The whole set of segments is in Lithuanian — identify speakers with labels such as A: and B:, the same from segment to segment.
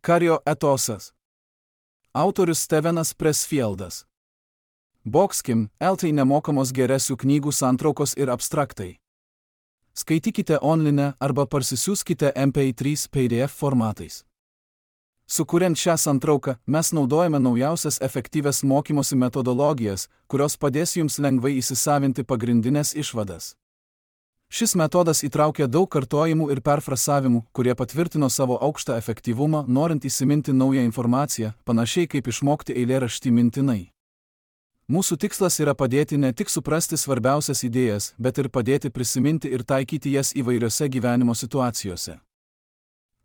A: Kario etosas. Autorius Stevenas Pressfieldas. Boxkim, LT nemokamos geresių knygų santraukos ir abstraktai. Skaitykite online arba parsisiųskite MP3 PDF formatais. Sukuriant šią santrauką, mes naudojame naujausias efektyvias mokymosi metodologijas, kurios padės jums lengvai įsisavinti pagrindinės išvadas. Šis metodas įtraukia daug kartojimų ir perfrasavimų, kurie patvirtino savo aukštą efektyvumą, norint įsiminti naują informaciją, panašiai kaip išmokti eilėraštį mintinai. Mūsų tikslas yra padėti ne tik suprasti svarbiausias idėjas, bet ir padėti prisiminti ir taikyti jas įvairiose gyvenimo situacijose.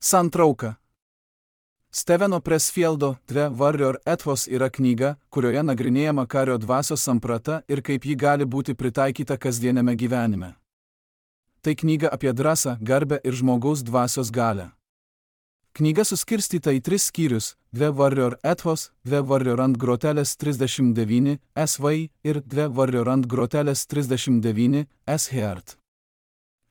A: Santrauka. Steveno Pressfieldo The Warrior Ethos yra knyga, kurioje nagrinėjama kario dvasios samprata ir kaip ji gali būti pritaikyta kasdieniame gyvenime. Tai knyga apie drąsą, garbę ir žmogaus dvasios galią. Knyga suskirstyta į 3 skyrius – The Warrior Ethos, The Warrior ant grotelės 39 SV ir The Warrior ant grotelės 39 SHeart.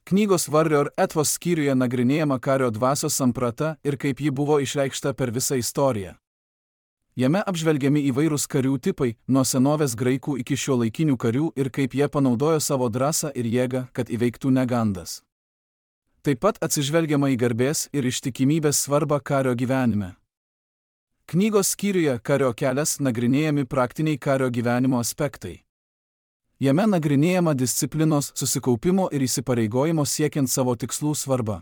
A: Knygos Warrior Ethos skyriuje nagrinėjama kario dvasios samprata ir kaip ji buvo išreikšta per visą istoriją. Jame apžvelgiami įvairūs karių tipai, nuo senovės graikų iki šiuolaikinių karių ir kaip jie panaudojo savo drąsą ir jėgą, kad įveiktų negandas. Taip pat atsižvelgiama į garbės ir ištikimybės svarbą kario gyvenime. Knygos skyriuje Kario kelias nagrinėjami praktiniai kario gyvenimo aspektai. Jame nagrinėjama disciplinos, susikaupimo ir įsipareigojimo siekiant savo tikslų svarba.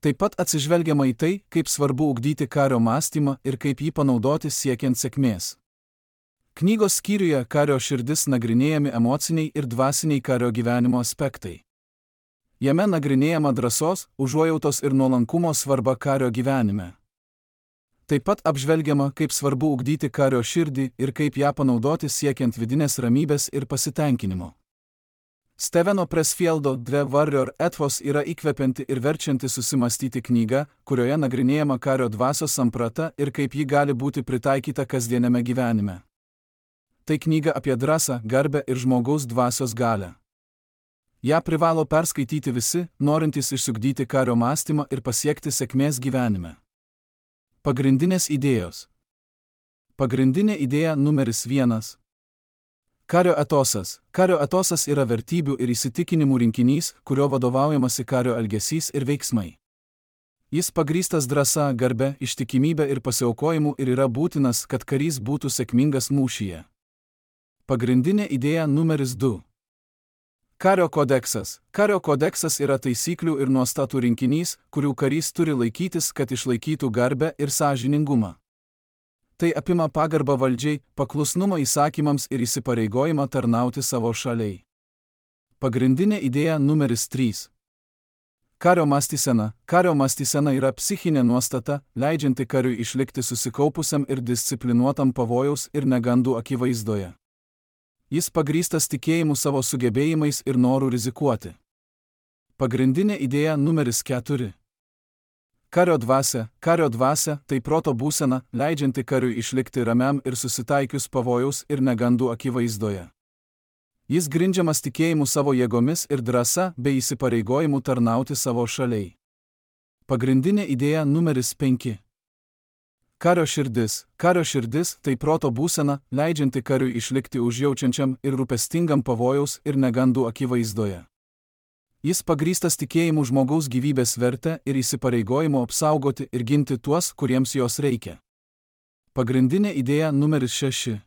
A: Taip pat atsižvelgiama į tai, kaip svarbu ugdyti kario mąstymą ir kaip jį panaudoti siekiant sėkmės. Knygos skyriuje Kario širdis nagrinėjami emociniai ir dvasiniai kario gyvenimo aspektai. Jame nagrinėjama drąsos, užuojautos ir nuolankumo svarba kario gyvenime. Taip pat apžvelgiama, kaip svarbu ugdyti kario širdį ir kaip ją panaudoti siekiant vidinės ramybės ir pasitenkinimo. Steveno Pressfieldo The Warrior Ethos yra įkvepianti ir verčianti susimastyti knyga, kurioje nagrinėjama kario dvasios samprata ir kaip ji gali būti pritaikyta kasdieniame gyvenime. Tai knyga apie drąsą, garbę ir žmogaus dvasios galią. Ja privalo perskaityti visi, norintys išsiugdyti kario mąstymą ir pasiekti sėkmės gyvenime. Pagrindinės idėjos. Pagrindinė idėja numeris 1. Kario etosas. Kario etosas yra vertybių ir įsitikinimų rinkinys, kurio vadovaujamasi kario elgesys ir veiksmai. Jis pagrįstas drąsa, garbe, ištikimybė ir pasiaukojimu ir yra būtinas, kad karys būtų sėkmingas mūšyje. Pagrindinė idėja numeris 2. Kario kodeksas. Kario kodeksas yra taisyklių ir nuostatų rinkinys, kurių karys turi laikytis, kad išlaikytų garbę ir sąžiningumą. Tai apima pagarbą valdžiai, paklusnumą įsakymams ir įsipareigojimą tarnauti savo šaliai. Pagrindinė idėja numeris 3. Kario mąstysena. Kario mąstysena yra psichinė nuostata, leidžianti kariui išlikti susikaupusiam ir disciplinuotam pavojaus ir negandų akivaizdoje. Jis pagrįstas tikėjimu savo sugebėjimais ir noru rizikuoti. Pagrindinė idėja numeris 4. Kario dvasia. Kario dvasia – tai proto būsena, leidžianti kariui išlikti ramiam ir susitaikius pavojaus ir negandų akivaizdoje. Jis grindžiamas tikėjimu savo jėgomis ir drąsa bei įsipareigojimu tarnauti savo šaliai. Pagrindinė idėja numeris 5. Kario širdis. Kario širdis – tai proto būsena, leidžianti kariui išlikti užjaučiančiam ir rūpestingam pavojaus ir negandų akivaizdoje. Jis pagrįstas tikėjimu žmogaus gyvybės vertę ir įsipareigojimu apsaugoti ir ginti tuos, kuriems jos reikia. Pagrindinė idėja numeris 6.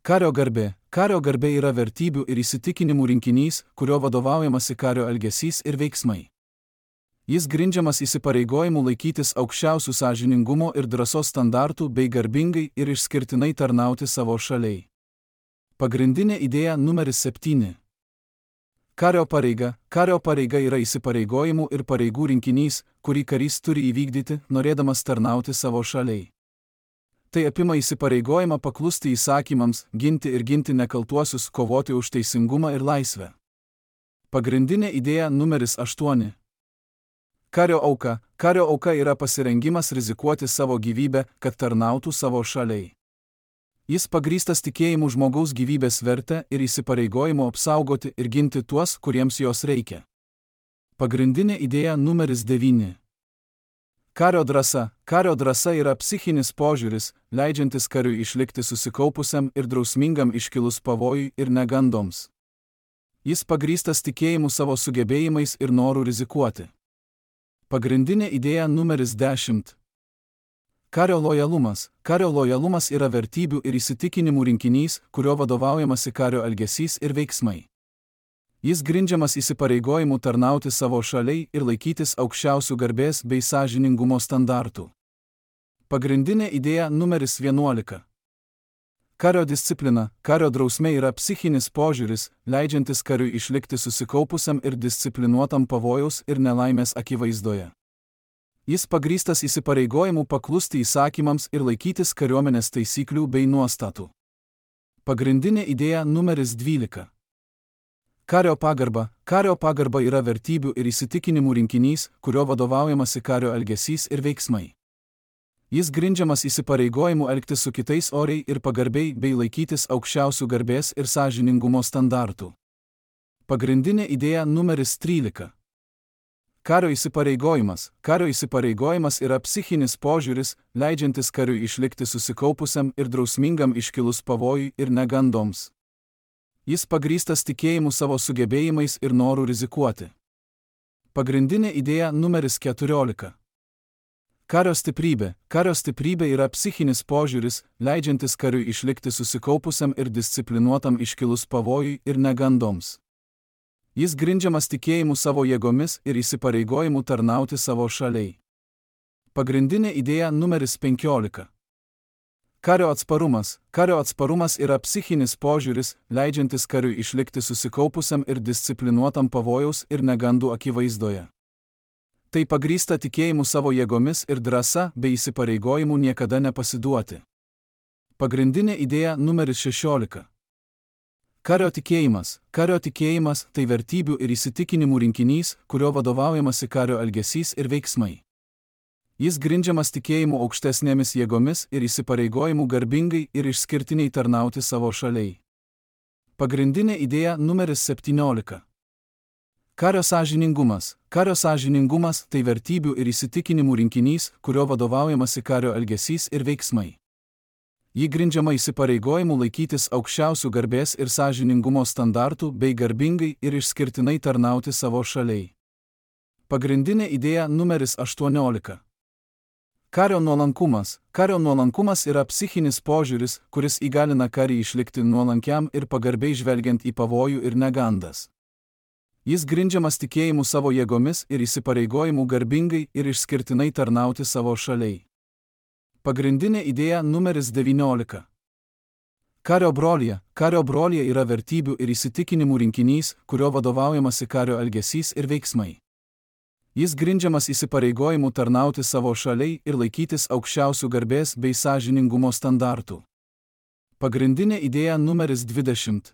A: Kario garbė. Kario garbė yra vertybių ir įsitikinimų rinkinys, kurio vadovaujamasi kario elgesys ir veiksmai. Jis grindžiamas įsipareigojimu laikytis aukščiausių sąžiningumo ir drąsos standartų bei garbingai ir išskirtinai tarnauti savo šaliai. Pagrindinė idėja numeris 7. Kario pareiga. Kario pareiga yra įsipareigojimų ir pareigų rinkinys, kurį karys turi įvykdyti, norėdamas tarnauti savo šaliai. Tai apima įsipareigojimą paklusti įsakymams, ginti ir ginti nekaltuosius, kovoti už teisingumą ir laisvę. Pagrindinė idėja numeris 8. Kario auka. Kario auka yra pasirengimas rizikuoti savo gyvybę, kad tarnautų savo šaliai. Jis pagrįstas tikėjimu žmogaus gyvybės vertę ir įsipareigojimu apsaugoti ir ginti tuos, kuriems jos reikia. Pagrindinė idėja numeris 9. Kario drąsa. kario drąsa yra psichinis požiūris, leidžiantis kariui išlikti susikaupusiam ir drausmingam iškilus pavojui ir negandoms. Jis pagrįstas tikėjimu savo sugebėjimais ir noru rizikuoti. Pagrindinė idėja numeris 10. Kario lojalumas. Kario lojalumas yra vertybių ir įsitikinimų rinkinys, kurio vadovaujamasi kario elgesys ir veiksmai. Jis grindžiamas įsipareigojimu tarnauti savo šaliai ir laikytis aukščiausių garbės bei sąžiningumo standartų. Pagrindinė idėja numeris 11. Kario disciplina. Kario drausmė yra psichinis požiūris, leidžiantis kariui išlikti susikaupusiam ir disciplinuotam pavojaus ir nelaimės akivaizdoje. Jis pagrįstas įsipareigojimu paklusti įsakymams ir laikytis kariuomenės taisyklių bei nuostatų. Pagrindinė idėja numeris 12. Kario pagarba. Kario pagarba yra vertybių ir įsitikinimų rinkinys, kurio vadovaujamasi kario elgesys ir veiksmai. Jis grindžiamas įsipareigojimu elgtis su kitais oriai ir pagarbiai bei laikytis aukščiausių garbės ir sąžiningumo standartų. Pagrindinė idėja numeris 13. Kario įsipareigojimas. Kario įsipareigojimas yra psichinis požiūris, leidžiantis kariui išlikti susikaupusiam ir drausmingam iškilus pavojui ir negandoms. Jis pagrįstas tikėjimu savo sugebėjimais ir noru rizikuoti. Pagrindinė idėja numeris 14. Kario stiprybė. Kario stiprybė yra psichinis požiūris, leidžiantis kariui išlikti susikaupusiam ir disciplinuotam iškilus pavojui ir negandoms. Jis grindžiamas tikėjimu savo jėgomis ir įsipareigojimu tarnauti savo šaliai. Pagrindinė idėja numeris 15. Kario atsparumas. Kario atsparumas yra psichinis požiūris, leidžiantis kariui išlikti susikaupusiam ir disciplinuotam pavojaus ir negandų akivaizdoje. Tai pagrįsta tikėjimu savo jėgomis ir drąsa bei įsipareigojimu niekada nepasiduoti. Pagrindinė idėja numeris 16. Kario tikėjimas. Kario tikėjimas tai vertybių ir įsitikinimų rinkinys, kurio vadovaujamasi kario elgesys ir veiksmai. Jis grindžiamas tikėjimu aukštesnėmis jėgomis ir įsipareigojimu garbingai ir išskirtiniai tarnauti savo šaliai. Pagrindinė idėja numeris 17. Kario sąžiningumas. Kario sąžiningumas tai vertybių ir įsitikinimų rinkinys, kurio vadovaujamasi kario elgesys ir veiksmai. Ji grindžiama įsipareigojimu laikytis aukščiausių garbės ir sąžiningumo standartų bei garbingai ir išskirtinai tarnauti savo šaliai. Pagrindinė idėja numeris 18. Kario nuolankumas. Kario nuolankumas yra psichinis požiūris, kuris įgalina karį išlikti nuolankiam ir pagarbiai žvelgiant į pavojų ir negandas. Jis grindžiamas tikėjimu savo jėgomis ir įsipareigojimu garbingai ir išskirtinai tarnauti savo šaliai. Pagrindinė idėja numeris 19. Kario brolija. Kario brolija yra vertybių ir įsitikinimų rinkinys, kurio vadovaujamasi kario elgesys ir veiksmai. Jis grindžiamas įsipareigojimu tarnauti savo šaliai ir laikytis aukščiausių garbės bei sąžiningumo standartų. Pagrindinė idėja numeris 20.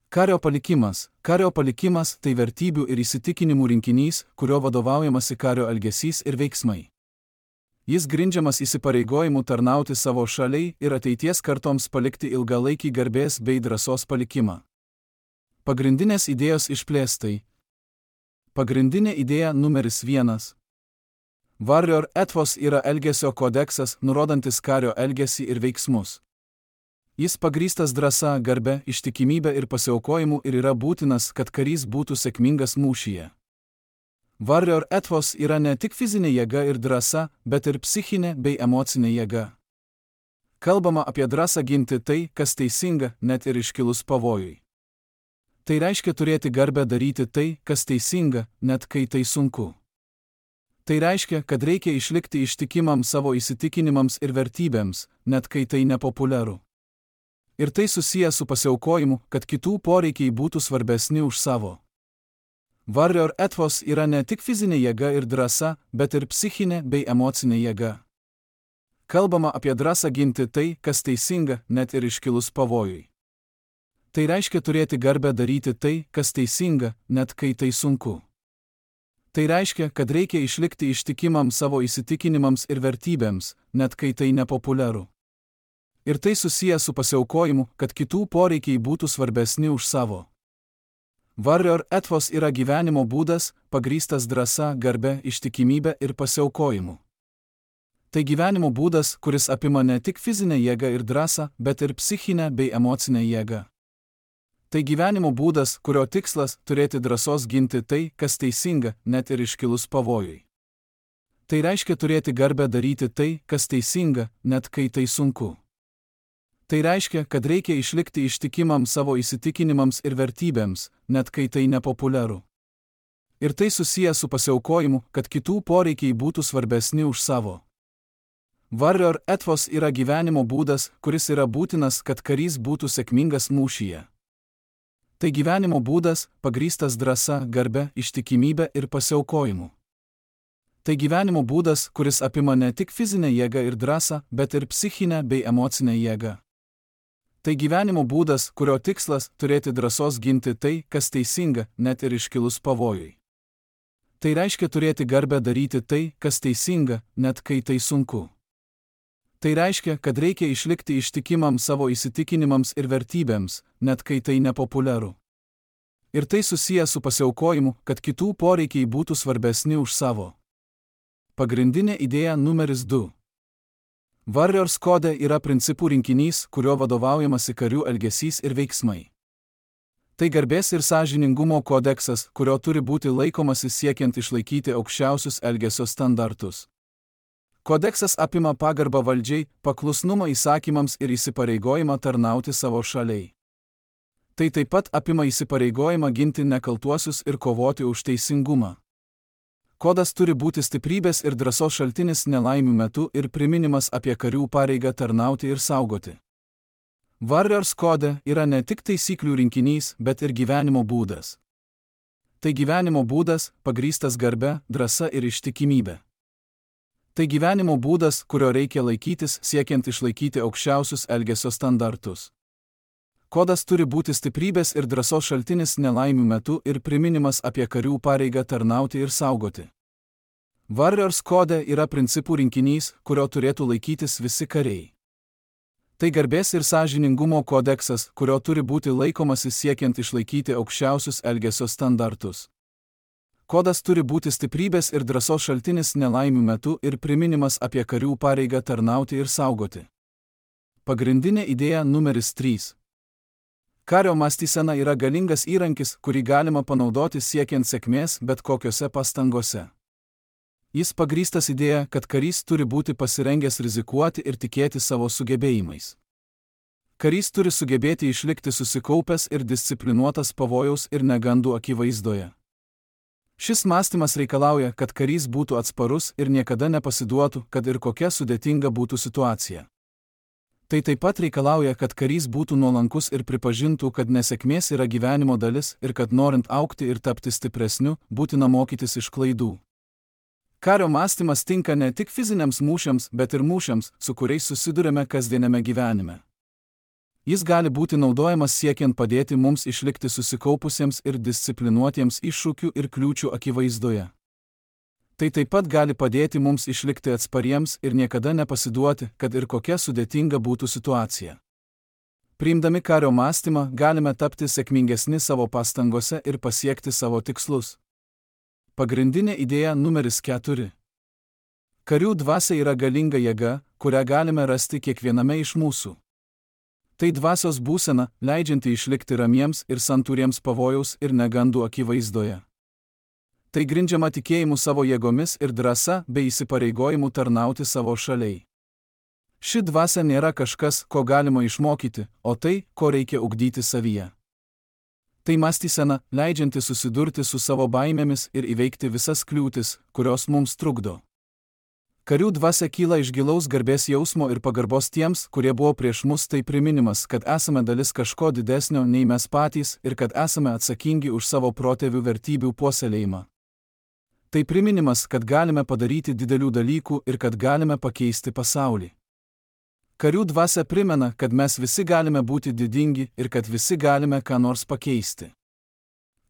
A: Kario palikimas. Kario palikimas tai vertybių ir įsitikinimų rinkinys, kurio vadovaujamasi kario elgesys ir veiksmai. Jis grindžiamas įsipareigojimu tarnauti savo šaliai ir ateities kartoms palikti ilgalaikį garbės bei drąsos palikimą. Pagrindinės idėjos išplėstai. Pagrindinė idėja numeris 1. Warrior ethos yra elgesio kodeksas, nurodantis kario elgesį ir veiksmus. Jis pagrįstas drąsa, garbe, ištikimybė ir pasiaukojimu ir yra būtinas, kad karys būtų sėkmingas mūšyje. Warrior ethos yra ne tik fizinė jėga ir drąsa, bet ir psichinė bei emocinė jėga. Kalbama apie drąsą ginti tai, kas teisinga, net ir iškilus pavojui. Tai reiškia turėti garbę daryti tai, kas teisinga, net kai tai sunku. Tai reiškia, kad reikia išlikti ištikimam savo įsitikinimams ir vertybėms, net kai tai nepopuliaru. Ir tai susiję su pasiaukojimu, kad kitų poreikiai būtų svarbesni už savo. Warrior ethos yra ne tik fizinė jėga ir drąsa, bet ir psichinė bei emocinė jėga. Kalbama apie drąsą ginti tai, kas teisinga, net ir iškilus pavojui. Tai reiškia turėti garbę daryti tai, kas teisinga, net kai tai sunku. Tai reiškia, kad reikia išlikti ištikimam savo įsitikinimams ir vertybėms, net kai tai nepopuliaru. Ir tai susiję su pasiaukojimu, kad kitų poreikiai būtų svarbesni už savo. Warrior ethos yra gyvenimo būdas, pagrįstas drąsa, garbe, ištikimybė ir pasiaukojimu. Tai gyvenimo būdas, kuris apima ne tik fizinę jėgą ir drąsą, bet ir psichinę bei emocinę jėgą. Tai gyvenimo būdas, kurio tikslas – turėti drąsos ginti tai, kas teisinga, net ir iškilus pavojui. Tai reiškia turėti garbę daryti tai, kas teisinga, net kai tai sunku. Tai reiškia, kad reikia išlikti ištikimam savo įsitikinimams ir vertybėms, net kai tai nepopuliaru. Ir tai susiję su pasiaukojimu, kad kitų poreikiai būtų svarbesni už savo. Warrior ethos yra gyvenimo būdas, kuris yra būtinas, kad karys būtų sėkmingas mūšyje. Tai gyvenimo būdas, pagrįstas drąsa, garbe, ištikimybė ir pasiaukojimu. Tai gyvenimo būdas, kuris apima ne tik fizinę jėgą ir drąsą, bet ir psichinę bei emocinę jėgą. Tai gyvenimo būdas, kurio tikslas – turėti drąsos ginti tai, kas teisinga, net ir iškilus pavojui. Tai reiškia turėti garbę daryti tai, kas teisinga, net kai tai sunku. Tai reiškia, kad reikia išlikti ištikimam savo įsitikinimams ir vertybėms, net kai tai nepopuliaru. Ir tai susiję su pasiaukojimu, kad kitų poreikiai būtų svarbesni už savo. Pagrindinė idėja numeris 2. Warriors kode yra principų rinkinys, kurio vadovaujamasi karių elgesys ir veiksmai. Tai garbės ir sąžiningumo kodeksas, kurio turi būti laikomasi siekiant išlaikyti aukščiausius elgesio standartus. Kodeksas apima pagarbą valdžiai, paklusnumą įsakymams ir įsipareigojimą tarnauti savo šaliai. Tai taip pat apima įsipareigojimą ginti nekaltuosius ir kovoti už teisingumą. Kodas turi būti stiprybės ir drąsos šaltinis nelaimių metu ir priminimas apie karių pareigą tarnauti ir saugoti. Warriors kode yra ne tik taisyklių rinkinys, bet ir gyvenimo būdas. Tai gyvenimo būdas, pagrįstas garbe, drąsa ir ištikimybė. Tai gyvenimo būdas, kurio reikia laikytis, siekiant išlaikyti aukščiausius elgesio standartus. Kodas turi būti stiprybės ir drąsos šaltinis nelaimių metu ir priminimas apie karių pareigą tarnauti ir saugoti. Warriors kode yra principų rinkinys, kurio turėtų laikytis visi kariai. Tai garbės ir sąžiningumo kodeksas, kurio turi būti laikomasi siekiant išlaikyti aukščiausius elgesio standartus. Kodas turi būti stiprybės ir drąsos šaltinis nelaimių metu ir priminimas apie karių pareigą tarnauti ir saugoti. Pagrindinė idėja numeris 3. Kario mąstysena yra galingas įrankis, kurį galima panaudoti siekiant sėkmės bet kokiose pastangose. Jis pagrįstas idėja, kad karys turi būti pasirengęs rizikuoti ir tikėti savo sugebėjimais. Karys turi sugebėti išlikti susikaupęs ir disciplinuotas pavojaus ir negandų akivaizdoje. Šis mąstymas reikalauja, kad karys būtų atsparus ir niekada nepasiduotų, kad ir kokia sudėtinga būtų situacija. Tai taip pat reikalauja, kad karys būtų nuolankus ir pripažintų, kad nesėkmės yra gyvenimo dalis ir kad norint augti ir tapti stipresniu, būtina mokytis iš klaidų. Kario mąstymas tinka ne tik fiziniams mūšiams, bet ir mūšiams, su kuriais susidurime kasdieniame gyvenime. Jis gali būti naudojamas siekiant padėti mums išlikti susikaupusiems ir disciplinuotiems iššūkių ir kliūčių akivaizdoje. Tai taip pat gali padėti mums išlikti atspariems ir niekada nepasiduoti, kad ir kokia sudėtinga būtų situacija. Priimdami kario mąstymą galime tapti sėkmingesni savo pastangose ir pasiekti savo tikslus. Pagrindinė idėja numeris 4. Karių dvasia yra galinga jėga, kurią galime rasti kiekviename iš mūsų. Tai dvasios būsena, leidžianti išlikti ramiems ir santūriems pavojaus ir negandų akivaizdoje. Tai grindžiama tikėjimu savo jėgomis ir drąsa bei įsipareigojimu tarnauti savo šaliai. Ši dvasia nėra kažkas, ko galima išmokyti, o tai, ko reikia ugdyti savyje. Tai mąstysena, leidžianti susidurti su savo baimėmis ir įveikti visas kliūtis, kurios mums trukdo. Karių dvasia kyla iš gilaus garbės jausmo ir pagarbos tiems, kurie buvo prieš mus, tai priminimas, kad esame dalis kažko didesnio nei mes patys ir kad esame atsakingi už savo protėvių vertybių puoselėjimą. Tai priminimas, kad galime padaryti didelių dalykų ir kad galime pakeisti pasaulį. Karių dvasia primena, kad mes visi galime būti didingi ir kad visi galime ką nors pakeisti.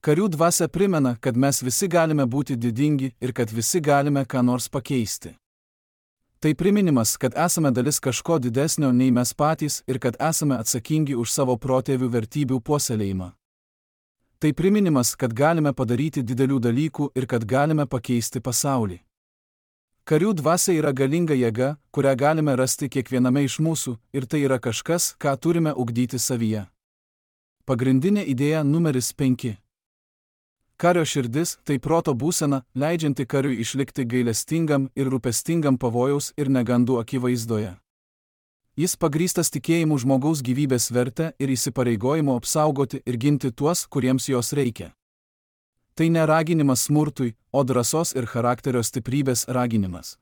A: Karių dvasia primena, kad mes visi galime būti didingi ir kad visi galime ką nors pakeisti. Tai priminimas, kad esame dalis kažko didesnio nei mes patys ir kad esame atsakingi už savo protėvių vertybių puoselėjimą. Tai priminimas, kad galime padaryti didelių dalykų ir kad galime pakeisti pasaulį. Karių dvasia yra galinga jėga, kurią galime rasti kiekviename iš mūsų, ir tai yra kažkas, ką turime ugdyti savyje. Pagrindinė idėja numeris 5. Kario širdis – tai proto būsena, leidžianti kariui išlikti gailestingam ir rūpestingam pavojaus ir negandų akivaizdoje. Jis pagrįstas tikėjimu žmogaus gyvybės vertę ir įsipareigojimu apsaugoti ir ginti tuos, kuriems jos reikia. Tai ne raginimas smurtui, o drąsos ir charakterio stiprybės raginimas.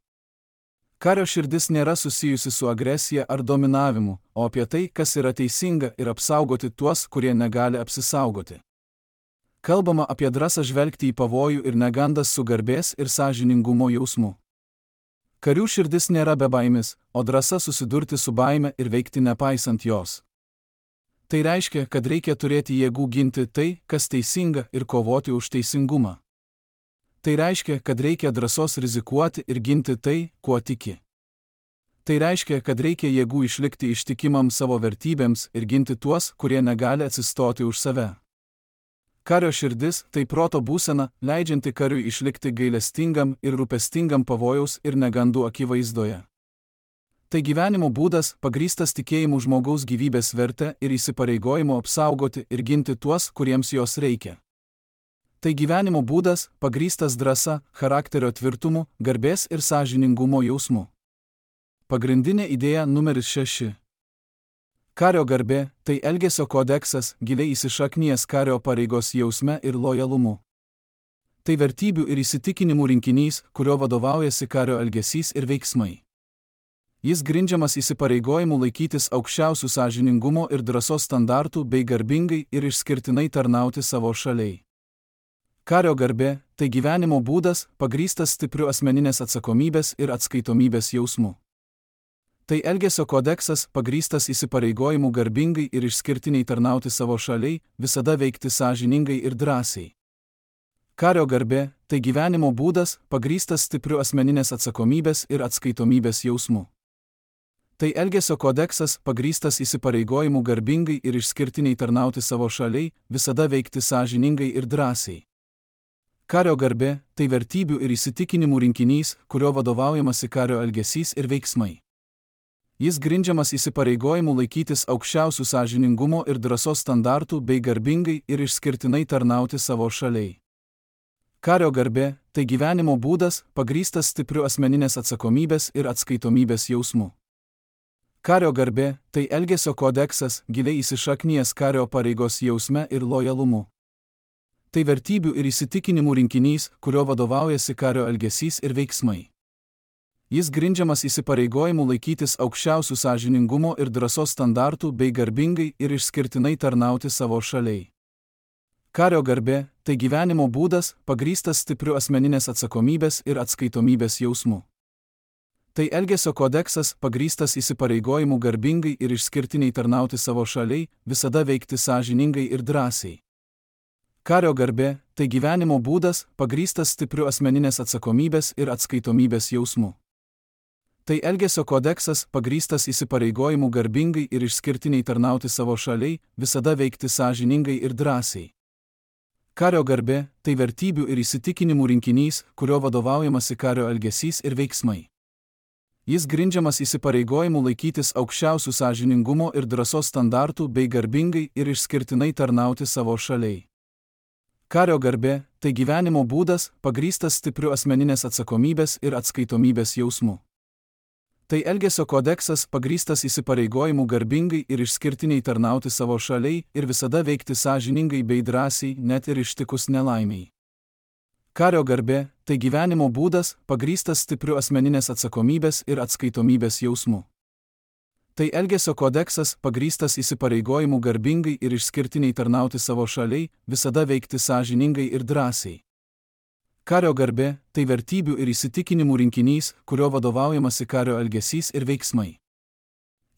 A: Kario širdis nėra susijusi su agresija ar dominavimu, o apie tai, kas yra teisinga ir apsaugoti tuos, kurie negali apsisaugoti. Kalbama apie drąsą žvelgti į pavojų ir negandas su garbės ir sąžiningumo jausmu. Karių širdis nėra bebaimis, o drąsa susidurti su baime ir veikti nepaisant jos. Tai reiškia, kad reikia turėti jėgų ginti tai, kas teisinga, ir kovoti už teisingumą. Tai reiškia, kad reikia drąsos rizikuoti ir ginti tai, kuo tiki. Tai reiškia, kad reikia jėgų išlikti ištikimam savo vertybėms ir ginti tuos, kurie negali atsistoti už save. Kario širdis – tai proto būsena, leidžianti kariui išlikti gailestingam ir rūpestingam pavojaus ir negandų akivaizdoje. Tai gyvenimo būdas, pagrįstas tikėjimu žmogaus gyvybės vertę ir įsipareigojimu apsaugoti ir ginti tuos, kuriems jos reikia. Tai gyvenimo būdas, pagrįstas drąsa, charakterio tvirtumu, garbės ir sąžiningumo jausmu. Pagrindinė idėja numeris 6. Kario garbė – tai elgesio kodeksas, giliai įsišaknijęs kario pareigos jausme ir lojalumu. Tai vertybių ir įsitikinimų rinkinys, kurio vadovaujasi kario elgesys ir veiksmai. Jis grindžiamas įsipareigojimu laikytis aukščiausių sąžiningumo ir drąsos standartų bei garbingai ir išskirtinai tarnauti savo šaliai. Kario garbė – tai gyvenimo būdas, pagrįstas stipriu asmeninės atsakomybės ir atskaitomybės jausmu. Tai elgesio kodeksas, pagrįstas įsipareigojimu garbingai ir išskirtiniai tarnauti savo šaliai, visada veikti sąžiningai ir drąsiai. Kario garbė – tai gyvenimo būdas, pagrįstas stipriu asmeninės atsakomybės ir atskaitomybės jausmu. Tai elgesio kodeksas, pagrįstas įsipareigojimu garbingai ir išskirtiniai tarnauti savo šaliai, visada veikti sąžiningai ir drąsiai. Kario garbė – tai vertybių ir įsitikinimų rinkinys, kurio vadovaujamasi kario elgesys ir veiksmai. Jis grindžiamas įsipareigojimu laikytis aukščiausių sąžiningumo ir drąsos standartų bei garbingai ir išskirtinai tarnauti savo šaliai. Kario garbė – tai gyvenimo būdas, pagrįstas stipriu asmeninės atsakomybės ir atskaitomybės jausmu. Kario garbė – tai elgesio kodeksas, giliai įsišaknijęs kario pareigos jausme ir lojalumu. Tai vertybių ir įsitikinimų rinkinys, kurio vadovaujasi kario elgesys ir veiksmai. Jis grindžiamas įsipareigojimu laikytis aukščiausių sąžiningumo ir drąsos standartų bei garbingai ir išskirtinai tarnauti savo šaliai. Kario garbė – tai gyvenimo būdas, pagrįstas stipriu asmeninės atsakomybės ir atskaitomybės jausmu. Tai elgesio kodeksas, pagrįstas įsipareigojimu garbingai ir išskirtiniai tarnauti savo šaliai, visada veikti sąžiningai ir drąsiai. Kario garbė – tai gyvenimo būdas, pagrįstas stipriu asmeninės atsakomybės ir atskaitomybės jausmu. Tai elgesio kodeksas, pagrįstas įsipareigojimu garbingai ir išskirtiniai tarnauti savo šaliai, visada veikti sąžiningai ir drąsiai. Kario garbė – tai vertybių ir įsitikinimų rinkinys, kurio vadovaujamasi kario elgesys ir veiksmai. Jis grindžiamas įsipareigojimu laikytis aukščiausių sąžiningumo ir drąsos standartų bei garbingai ir išskirtinai tarnauti savo šaliai. Kario garbė – tai gyvenimo būdas, pagrįstas stipriu asmeninės atsakomybės ir atskaitomybės jausmu. Tai elgesio kodeksas, pagrįstas įsipareigojimu garbingai ir išskirtiniai tarnauti savo šaliai ir visada veikti sąžiningai bei drąsiai, net ir ištikus nelaimiai. Kario garbė – tai gyvenimo būdas, pagrįstas stipriu asmeninės atsakomybės ir atskaitomybės jausmu. Tai elgesio kodeksas, pagrįstas įsipareigojimu garbingai ir išskirtiniai tarnauti savo šaliai, visada veikti sąžiningai ir drąsiai. Kario garbė – tai vertybių ir įsitikinimų rinkinys, kurio vadovaujamasi kario elgesys ir veiksmai.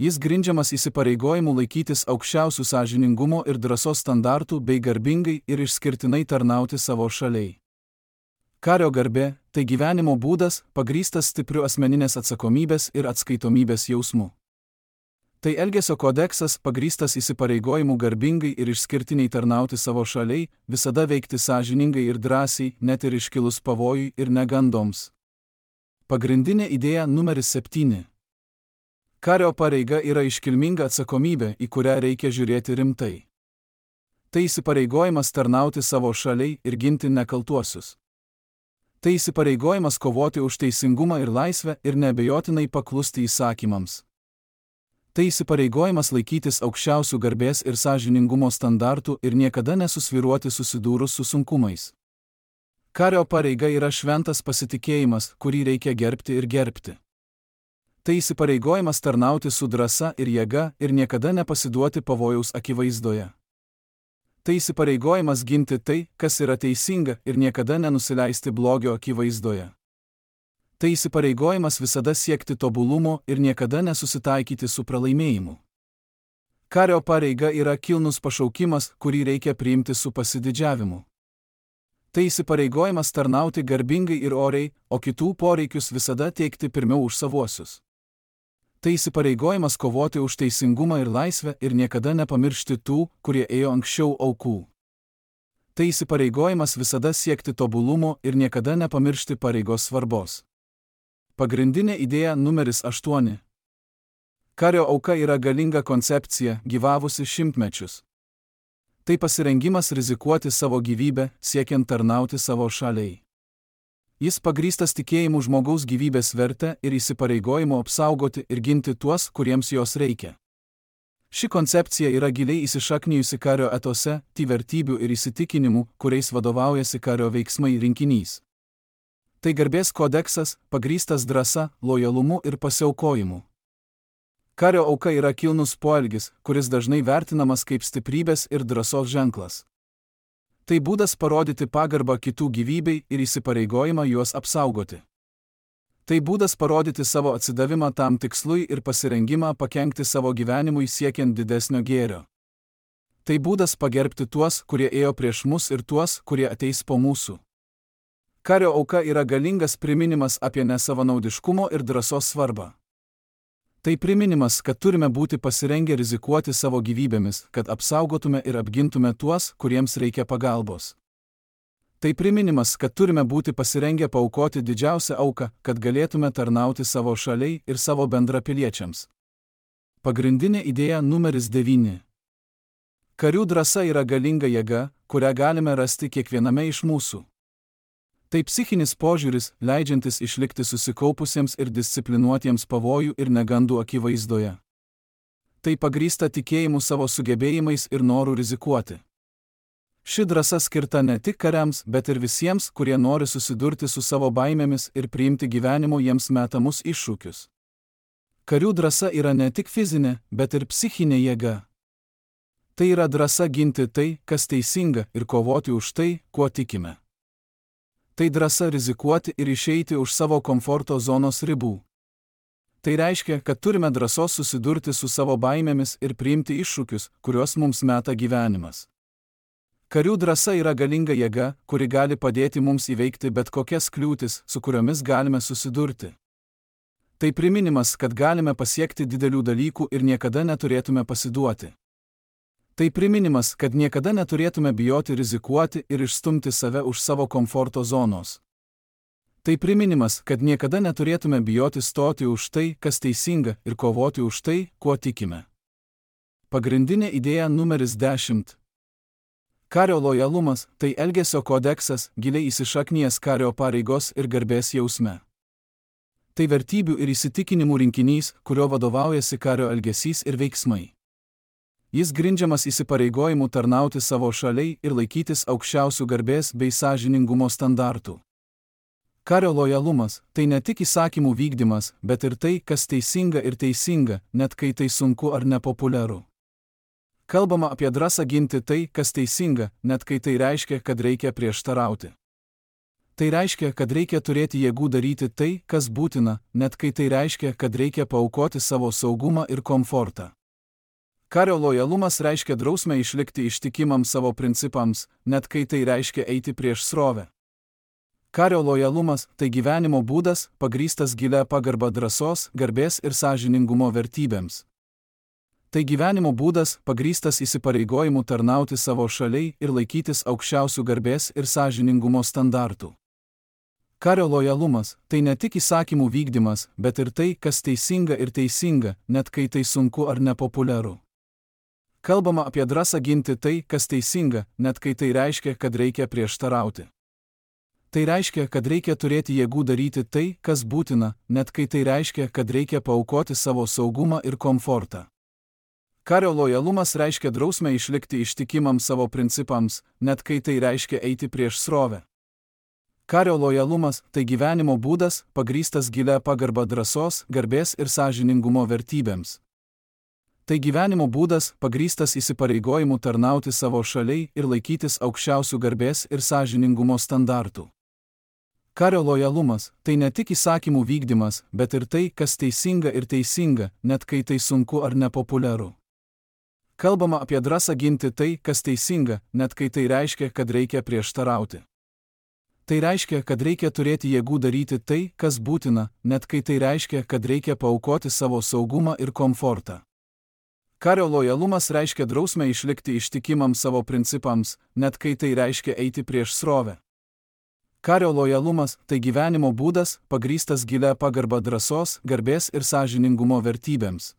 A: Jis grindžiamas įsipareigojimu laikytis aukščiausių sąžiningumo ir drąsos standartų bei garbingai ir išskirtinai tarnauti savo šaliai. Kario garbė – tai gyvenimo būdas, pagrįstas stipriu asmeninės atsakomybės ir atskaitomybės jausmu. Tai elgesio kodeksas, pagrįstas įsipareigojimu garbingai ir išskirtiniai tarnauti savo šaliai, visada veikti sąžiningai ir drąsiai, net ir iškilus pavojui ir negandoms. Pagrindinė idėja numeris 7. Kario pareiga yra iškilminga atsakomybė, į kurią reikia žiūrėti rimtai. Tai įsipareigojimas tarnauti savo šaliai ir ginti nekaltuosius. Tai įsipareigojimas kovoti už teisingumą ir laisvę ir neabejotinai paklusti įsakymams. Tai įsipareigojimas laikytis aukščiausių garbės ir sąžiningumo standartų ir niekada nesusvyruoti susidūrus su sunkumais. Kario pareiga yra šventas pasitikėjimas, kurį reikia gerbti ir gerbti. Tai įsipareigojimas tarnauti su drąsa ir jėga ir niekada nepasiduoti pavojaus akivaizdoje. Tai įsipareigojimas ginti tai, kas yra teisinga ir niekada nenusileisti blogio akivaizdoje. Tai įsipareigojimas visada siekti tobulumo ir niekada nesusitaikyti su pralaimėjimu. Kario pareiga yra kilnus pašaukimas, kurį reikia priimti su pasididžiavimu. Tai įsipareigojimas tarnauti garbingai ir oriai, o kitų poreikius visada teikti pirmiau už savuosius. Tai įsipareigojimas kovoti už teisingumą ir laisvę ir niekada nepamiršti tų, kurie ėjo anksčiau aukų. Tai įsipareigojimas visada siekti tobulumo ir niekada nepamiršti pareigos svarbos. Pagrindinė idėja numeris 8. Kario auka yra galinga koncepcija, gyvavusi šimtmečius. Tai pasirengimas rizikuoti savo gyvybę, siekiant tarnauti savo šaliai. Jis pagrįstas tikėjimu žmogaus gyvybės vertę ir įsipareigojimu apsaugoti ir ginti tuos, kuriems jos reikia. Ši koncepcija yra giliai įsišaknijusi kario etose, vertybių ir įsitikinimų, kuriais vadovaujasi kario veiksmai rinkinys. Tai garbės kodeksas, pagrįstas drąsa, lojalumu ir pasiaukojimu. Kario auka yra kilnus poelgis, kuris dažnai vertinamas kaip stiprybės ir drąsos ženklas. Tai būdas parodyti pagarbą kitų gyvybei ir įsipareigojimą juos apsaugoti. Tai būdas parodyti savo atsidavimą tam tikslui ir pasirengimą pakenkti savo gyvenimui siekiant didesnio gėrio. Tai būdas pagerbti tuos, kurie ėjo prieš mus ir tuos, kurie ateis po mūsų. Kario auka yra galingas priminimas apie nesavanaudiškumo ir drąsos svarbą. Tai priminimas, kad turime būti pasirengę rizikuoti savo gyvybėmis, kad apsaugotume ir apgintume tuos, kuriems reikia pagalbos. Tai priminimas, kad turime būti pasirengę paaukoti didžiausią auką, kad galėtume tarnauti savo šaliai ir savo bendrapiliečiams. Pagrindinė idėja numeris 9. Karių drąsa yra galinga jėga, kurią galime rasti kiekviename iš mūsų. Tai psichinis požiūris, leidžiantis išlikti susikaupusiems ir disciplinuotiems pavojų ir negandų akivaizdoje. Tai pagrįsta tikėjimu savo sugebėjimais ir noru rizikuoti. Ši drąsa skirta ne tik kariams, bet ir visiems, kurie nori susidurti su savo baimėmis ir priimti gyvenimo jiems metamus iššūkius. Karių drąsa yra ne tik fizinė, bet ir psichinė jėga. Tai yra drąsa ginti tai, kas teisinga, ir kovoti už tai, kuo tikime. Tai drąsa rizikuoti ir išeiti už savo komforto zonos ribų. Tai reiškia, kad turime drąsos susidurti su savo baimėmis ir priimti iššūkius, kuriuos mums meta gyvenimas. Karių drąsa yra galinga jėga, kuri gali padėti mums įveikti bet kokias kliūtis, su kuriomis galime susidurti. Tai priminimas, kad galime pasiekti didelių dalykų ir niekada neturėtume pasiduoti. Tai priminimas, kad niekada neturėtume bijoti rizikuoti ir išstumti save už savo komforto zonos. Tai priminimas, kad niekada neturėtume bijoti stoti už tai, kas teisinga, ir kovoti už tai, kuo tikime. Pagrindinė idėja numeris 10. Kario lojalumas – tai elgesio kodeksas, giliai įsišaknijęs kario pareigos ir garbės jausme. Tai vertybių ir įsitikinimų rinkinys, kurio vadovaujasi kario elgesys ir veiksmai. Jis grindžiamas įsipareigojimu tarnauti savo šaliai ir laikytis aukščiausių garbės bei sąžiningumo standartų. Kario lojalumas – tai ne tik įsakymų vykdymas, bet ir tai, kas teisinga ir teisinga, net kai tai sunku ar nepopuliaru. Kalbama apie drąsą ginti tai, kas teisinga, net kai tai reiškia, kad reikia prieštarauti. Tai reiškia, kad reikia turėti jėgų daryti tai, kas būtina, net kai tai reiškia, kad reikia paaukoti savo saugumą ir komfortą. Kario lojalumas reiškia drausmę išlikti ištikimam savo principams, net kai tai reiškia eiti prieš srovę. Kario lojalumas – tai gyvenimo būdas, pagrįstas gilia pagarba drąsos, garbės ir sąžiningumo vertybėms. Tai gyvenimo būdas, pagrįstas įsipareigojimu tarnauti savo šaliai ir laikytis aukščiausių garbės ir sąžiningumo standartų. Kario lojalumas – tai ne tik įsakymų vykdymas, bet ir tai, kas teisinga ir teisinga, net kai tai sunku ar nepopuliaru. Kalbama apie drąsą ginti tai, kas teisinga, net kai tai reiškia, kad reikia prieštarauti. Tai reiškia, kad reikia turėti jėgų daryti tai, kas būtina, net kai tai reiškia, kad reikia paaukoti savo saugumą ir komfortą. Kario lojalumas reiškia drausmę išlikti ištikimam savo principams, net kai tai reiškia eiti prieš srovę. Kario lojalumas – tai gyvenimo būdas, pagrįstas gilia pagarba drąsos, garbės ir sąžiningumo vertybėms. Tai gyvenimo būdas, pagrįstas įsipareigojimu tarnauti savo šaliai ir laikytis aukščiausių garbės ir sąžiningumo standartų. Kario lojalumas – tai ne tik įsakymų vykdymas, bet ir tai, kas teisinga ir teisinga, net kai tai sunku ar nepopuliaru. Kalbama apie drąsą ginti tai, kas teisinga, net kai tai reiškia, kad reikia prieštarauti. Tai reiškia, kad reikia turėti jėgų daryti tai, kas būtina, net kai tai reiškia, kad reikia paaukoti savo saugumą ir komfortą. Kario lojalumas reiškia drausmę išlikti ištikimam savo principams, net kai tai reiškia eiti prieš srovę. Kario lojalumas – tai gyvenimo būdas, pagrįstas gilia pagarba drąsos, garbės ir sąžiningumo vertybėms.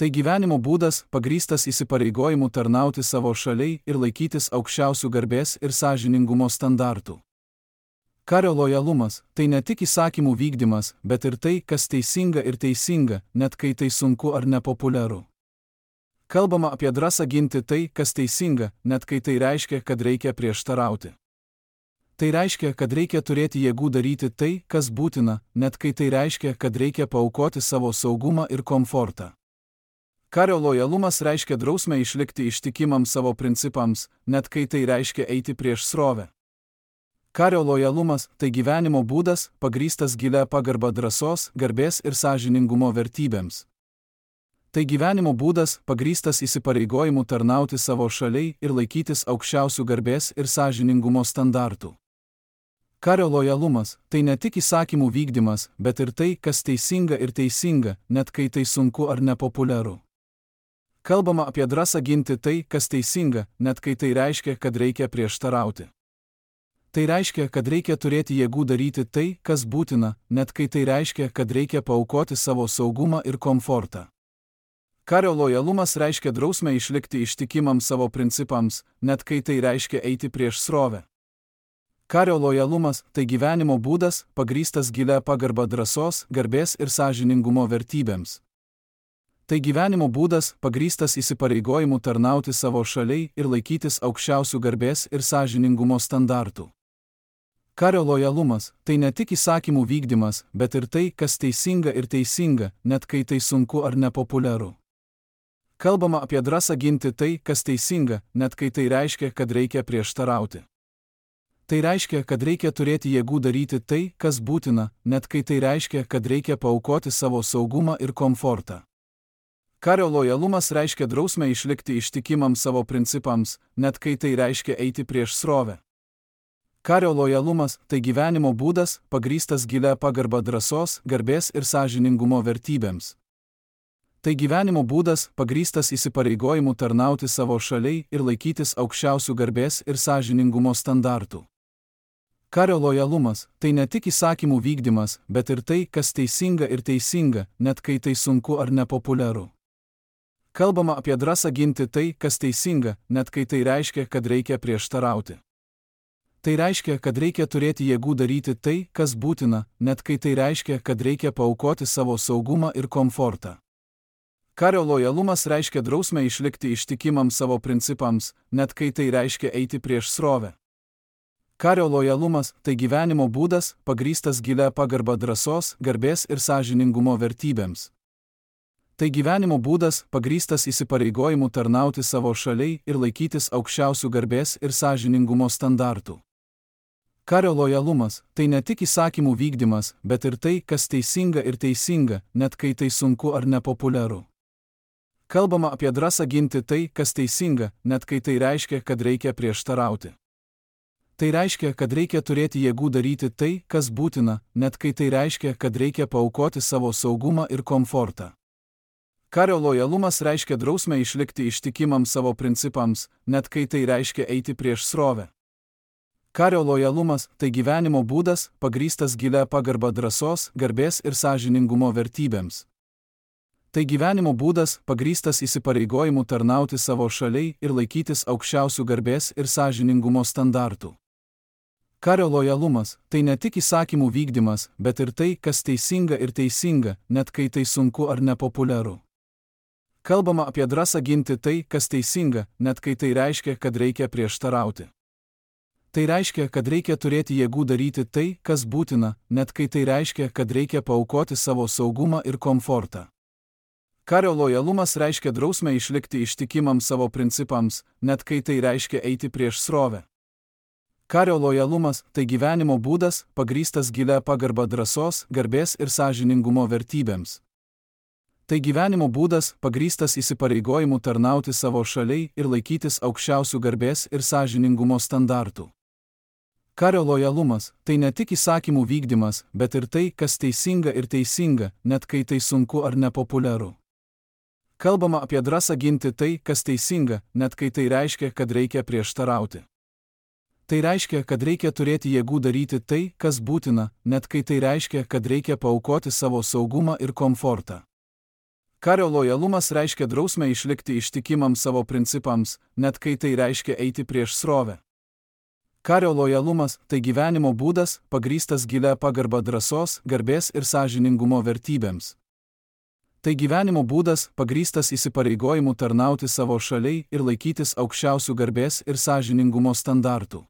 A: Tai gyvenimo būdas, pagrįstas įsipareigojimu tarnauti savo šaliai ir laikytis aukščiausių garbės ir sąžiningumo standartų. Kario lojalumas – tai ne tik įsakymų vykdymas, bet ir tai, kas teisinga ir teisinga, net kai tai sunku ar nepopuliaru. Kalbama apie drąsą ginti tai, kas teisinga, net kai tai reiškia, kad reikia prieštarauti. Tai reiškia, kad reikia turėti jėgų daryti tai, kas būtina, net kai tai reiškia, kad reikia paaukoti savo saugumą ir komfortą. Kario lojalumas reiškia drausmę išlikti ištikimam savo principams, net kai tai reiškia eiti prieš srovę. Kario lojalumas – tai gyvenimo būdas, pagrįstas gilia pagarba drąsos, garbės ir sąžiningumo vertybėms. Tai gyvenimo būdas, pagrįstas įsipareigojimu tarnauti savo šaliai ir laikytis aukščiausių garbės ir sąžiningumo standartų. Kario lojalumas – tai ne tik įsakymų vykdymas, bet ir tai, kas teisinga ir teisinga, net kai tai sunku ar nepopuliaru. Kalbama apie drąsą ginti tai, kas teisinga, net kai tai reiškia, kad reikia prieštarauti. Tai reiškia, kad reikia turėti jėgų daryti tai, kas būtina, net kai tai reiškia, kad reikia paaukoti savo saugumą ir komfortą. Kario lojalumas reiškia drausmę išlikti ištikimam savo principams, net kai tai reiškia eiti prieš srovę. Kario lojalumas – tai gyvenimo būdas, pagrįstas gilia pagarba drąsos, garbės ir sąžiningumo vertybėms. Tai gyvenimo būdas, pagrįstas įsipareigojimu tarnauti savo šaliai ir laikytis aukščiausių garbės ir sąžiningumo standartų. Kario lojalumas – tai ne tik įsakymų vykdymas, bet ir tai, kas teisinga ir teisinga, net kai tai sunku ar nepopuliaru. Kalbama apie drąsą ginti tai, kas teisinga, net kai tai reiškia, kad reikia prieštarauti. Tai reiškia, kad reikia turėti jėgų daryti tai, kas būtina, net kai tai reiškia, kad reikia paaukoti savo saugumą ir komfortą. Kario lojalumas reiškia drausmę išlikti ištikimam savo principams, net kai tai reiškia eiti prieš srovę. Kario lojalumas – tai gyvenimo būdas, pagrįstas gilia pagarba drąsos, garbės ir sąžiningumo vertybėms. Tai gyvenimo būdas, pagrįstas įsipareigojimu tarnauti savo šaliai ir laikytis aukščiausių garbės ir sąžiningumo standartų. Kario lojalumas – tai ne tik įsakymų vykdymas, bet ir tai, kas teisinga ir teisinga, net kai tai sunku ar nepopuliaru. Kalbama apie drąsą ginti tai, kas teisinga, net kai tai reiškia, kad reikia prieštarauti. Tai reiškia, kad reikia turėti jėgų daryti tai, kas būtina, net kai tai reiškia, kad reikia paaukoti savo saugumą ir komfortą. Kario lojalumas reiškia drausmę išlikti ištikimam savo principams, net kai tai reiškia eiti prieš srovę. Kario lojalumas – tai gyvenimo būdas, pagrįstas gilia pagarba drąsos, garbės ir sąžiningumo vertybėms. Tai gyvenimo būdas, pagrįstas įsipareigojimu tarnauti savo šaliai ir laikytis aukščiausių garbės ir sąžiningumo standartų. Kario lojalumas – tai ne tik įsakymų vykdymas, bet ir tai, kas teisinga ir teisinga, net kai tai sunku ar nepopuliaru. Kalbama apie drąsą ginti tai, kas teisinga, net kai tai reiškia, kad reikia prieštarauti. Tai reiškia, kad reikia turėti jėgų daryti tai, kas būtina, net kai tai reiškia, kad reikia paaukoti savo saugumą ir komfortą. Kario lojalumas reiškia drausmę išlikti ištikimam savo principams, net kai tai reiškia eiti prieš srovę. Kario lojalumas – tai gyvenimo būdas, pagrįstas gilia pagarba drąsos, garbės ir sąžiningumo vertybėms. Tai gyvenimo būdas, pagrįstas įsipareigojimu tarnauti savo šaliai ir laikytis aukščiausių garbės ir sąžiningumo standartų. Kario lojalumas – tai ne tik įsakymų vykdymas, bet ir tai, kas teisinga ir teisinga, net kai tai sunku ar nepopuliaru. Kalbama apie drąsą ginti tai, kas teisinga, net kai tai reiškia, kad reikia prieštarauti. Tai reiškia, kad reikia turėti jėgų daryti tai, kas būtina, net kai tai reiškia, kad reikia paaukoti savo saugumą ir komfortą. Kario lojalumas reiškia drausmę išlikti ištikimam savo principams, net kai tai reiškia eiti prieš srovę. Kario lojalumas – tai gyvenimo būdas, pagrįstas gilia pagarba drąsos, garbės ir sąžiningumo vertybėms. Tai gyvenimo būdas, pagrįstas įsipareigojimu tarnauti savo šaliai ir laikytis aukščiausių garbės ir sąžiningumo standartų. Kario lojalumas – tai ne tik įsakymų vykdymas, bet ir tai, kas teisinga ir teisinga, net kai tai sunku ar nepopuliaru. Kalbama apie drąsą ginti tai, kas teisinga, net kai tai reiškia, kad reikia prieštarauti. Tai reiškia, kad reikia turėti jėgų daryti tai, kas būtina, net kai tai reiškia, kad reikia paaukoti savo saugumą ir komfortą. Kario lojalumas reiškia drausmę išlikti ištikimam savo principams, net kai tai reiškia eiti prieš srovę. Kario lojalumas – tai gyvenimo būdas, pagrįstas gilia pagarba drąsos, garbės ir sąžiningumo vertybėms. Tai gyvenimo būdas, pagrįstas įsipareigojimu tarnauti savo šaliai ir laikytis aukščiausių garbės ir sąžiningumo standartų.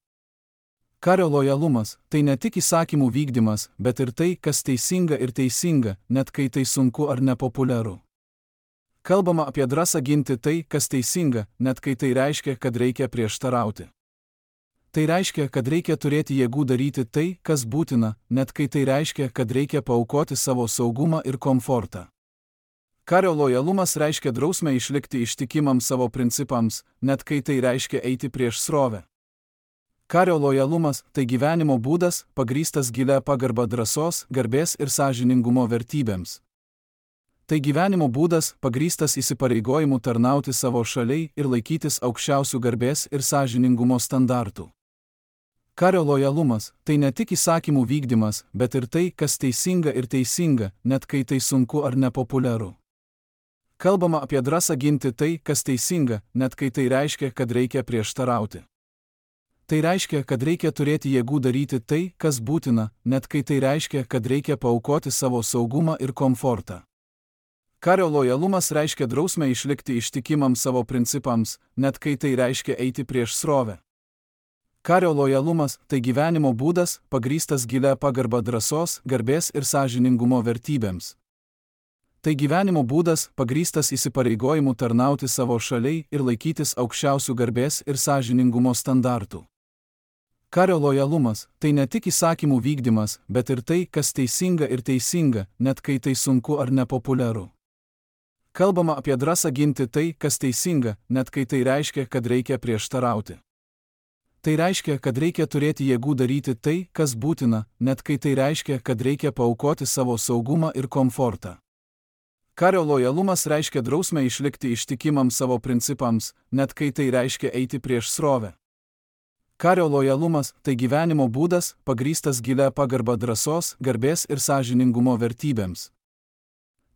A: Kario lojalumas – tai ne tik įsakymų vykdymas, bet ir tai, kas teisinga ir teisinga, net kai tai sunku ar nepopuliaru. Kalbama apie drąsą ginti tai, kas teisinga, net kai tai reiškia, kad reikia prieštarauti. Tai reiškia, kad reikia turėti jėgų daryti tai, kas būtina, net kai tai reiškia, kad reikia paaukoti savo saugumą ir komfortą. Kario lojalumas reiškia drausmę išlikti ištikimam savo principams, net kai tai reiškia eiti prieš srovę. Kario lojalumas – tai gyvenimo būdas, pagrįstas gilia pagarba drąsos, garbės ir sąžiningumo vertybėms. Tai gyvenimo būdas, pagrįstas įsipareigojimu tarnauti savo šaliai ir laikytis aukščiausių garbės ir sąžiningumo standartų. Kario lojalumas – tai ne tik įsakymų vykdymas, bet ir tai, kas teisinga ir teisinga, net kai tai sunku ar nepopuliaru. Kalbama apie drąsą ginti tai, kas teisinga, net kai tai reiškia, kad reikia prieštarauti. Tai reiškia, kad reikia turėti jėgų daryti tai, kas būtina, net kai tai reiškia, kad reikia paaukoti savo saugumą ir komfortą. Kario lojalumas reiškia drausmę išlikti ištikimam savo principams, net kai tai reiškia eiti prieš srovę. Kario lojalumas – tai gyvenimo būdas, pagrįstas gilia pagarba drąsos, garbės ir sąžiningumo vertybėms. Tai gyvenimo būdas, pagrįstas įsipareigojimu tarnauti savo šaliai ir laikytis aukščiausių garbės ir sąžiningumo standartų. Kario lojalumas – tai ne tik įsakymų vykdymas, bet ir tai, kas teisinga ir teisinga, net kai tai sunku ar nepopuliaru. Kalbama apie drąsą ginti tai, kas teisinga, net kai tai reiškia, kad reikia prieštarauti. Tai reiškia, kad reikia turėti jėgų daryti tai, kas būtina, net kai tai reiškia, kad reikia paaukoti savo saugumą ir komfortą. Kario lojalumas reiškia drausmę išlikti ištikimam savo principams, net kai tai reiškia eiti prieš srovę. Kario lojalumas – tai gyvenimo būdas, pagrįstas gilia pagarba drąsos, garbės ir sąžiningumo vertybėms.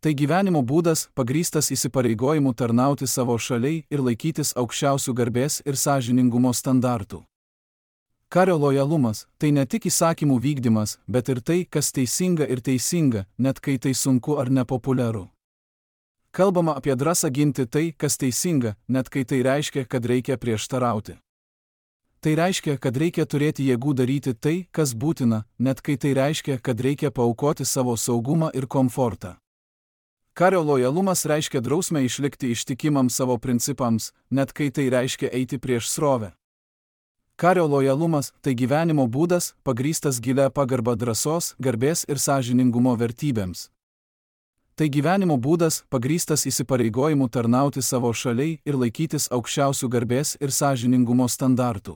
A: Tai gyvenimo būdas, pagrįstas įsipareigojimu tarnauti savo šaliai ir laikytis aukščiausių garbės ir sąžiningumo standartų. Kario lojalumas – tai ne tik įsakymų vykdymas, bet ir tai, kas teisinga ir teisinga, net kai tai sunku ar nepopuliaru. Kalbama apie drąsą ginti tai, kas teisinga, net kai tai reiškia, kad reikia prieštarauti. Tai reiškia, kad reikia turėti jėgų daryti tai, kas būtina, net kai tai reiškia, kad reikia paaukoti savo saugumą ir komfortą. Kario lojalumas reiškia drausmę išlikti ištikimam savo principams, net kai tai reiškia eiti prieš srovę. Kario lojalumas – tai gyvenimo būdas, pagrįstas gilia pagarba drąsos, garbės ir sąžiningumo vertybėms. Tai gyvenimo būdas, pagrįstas įsipareigojimu tarnauti savo šaliai ir laikytis aukščiausių garbės ir sąžiningumo standartų.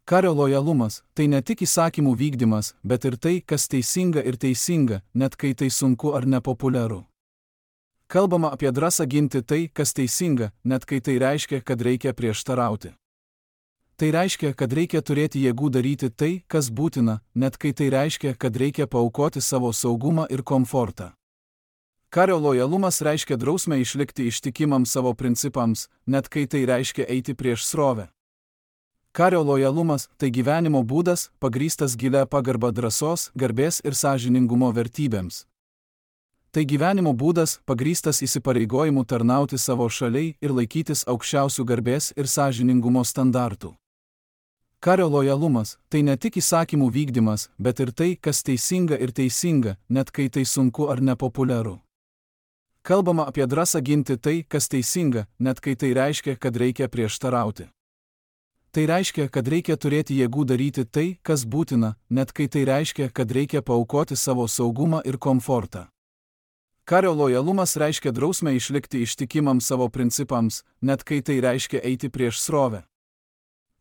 A: Kario lojalumas – tai ne tik įsakymų vykdymas, bet ir tai, kas teisinga ir teisinga, net kai tai sunku ar nepopuliaru. Kalbama apie drąsą ginti tai, kas teisinga, net kai tai reiškia, kad reikia prieštarauti. Tai reiškia, kad reikia turėti jėgų daryti tai, kas būtina, net kai tai reiškia, kad reikia paaukoti savo saugumą ir komfortą. Kario lojalumas reiškia drausmę išlikti ištikimam savo principams, net kai tai reiškia eiti prieš srovę. Kario lojalumas – tai gyvenimo būdas, pagrįstas gilia pagarba drąsos, garbės ir sąžiningumo vertybėms. Tai gyvenimo būdas, pagrįstas įsipareigojimu tarnauti savo šaliai ir laikytis aukščiausių garbės ir sąžiningumo standartų. Kario lojalumas – tai ne tik įsakymų vykdymas, bet ir tai, kas teisinga ir teisinga, net kai tai sunku ar nepopuliaru. Kalbama apie drąsą ginti tai, kas teisinga, net kai tai reiškia, kad reikia prieštarauti. Tai reiškia, kad reikia turėti jėgų daryti tai, kas būtina, net kai tai reiškia, kad reikia paaukoti savo saugumą ir komfortą. Kario lojalumas reiškia drausmę išlikti ištikimam savo principams, net kai tai reiškia eiti prieš srovę.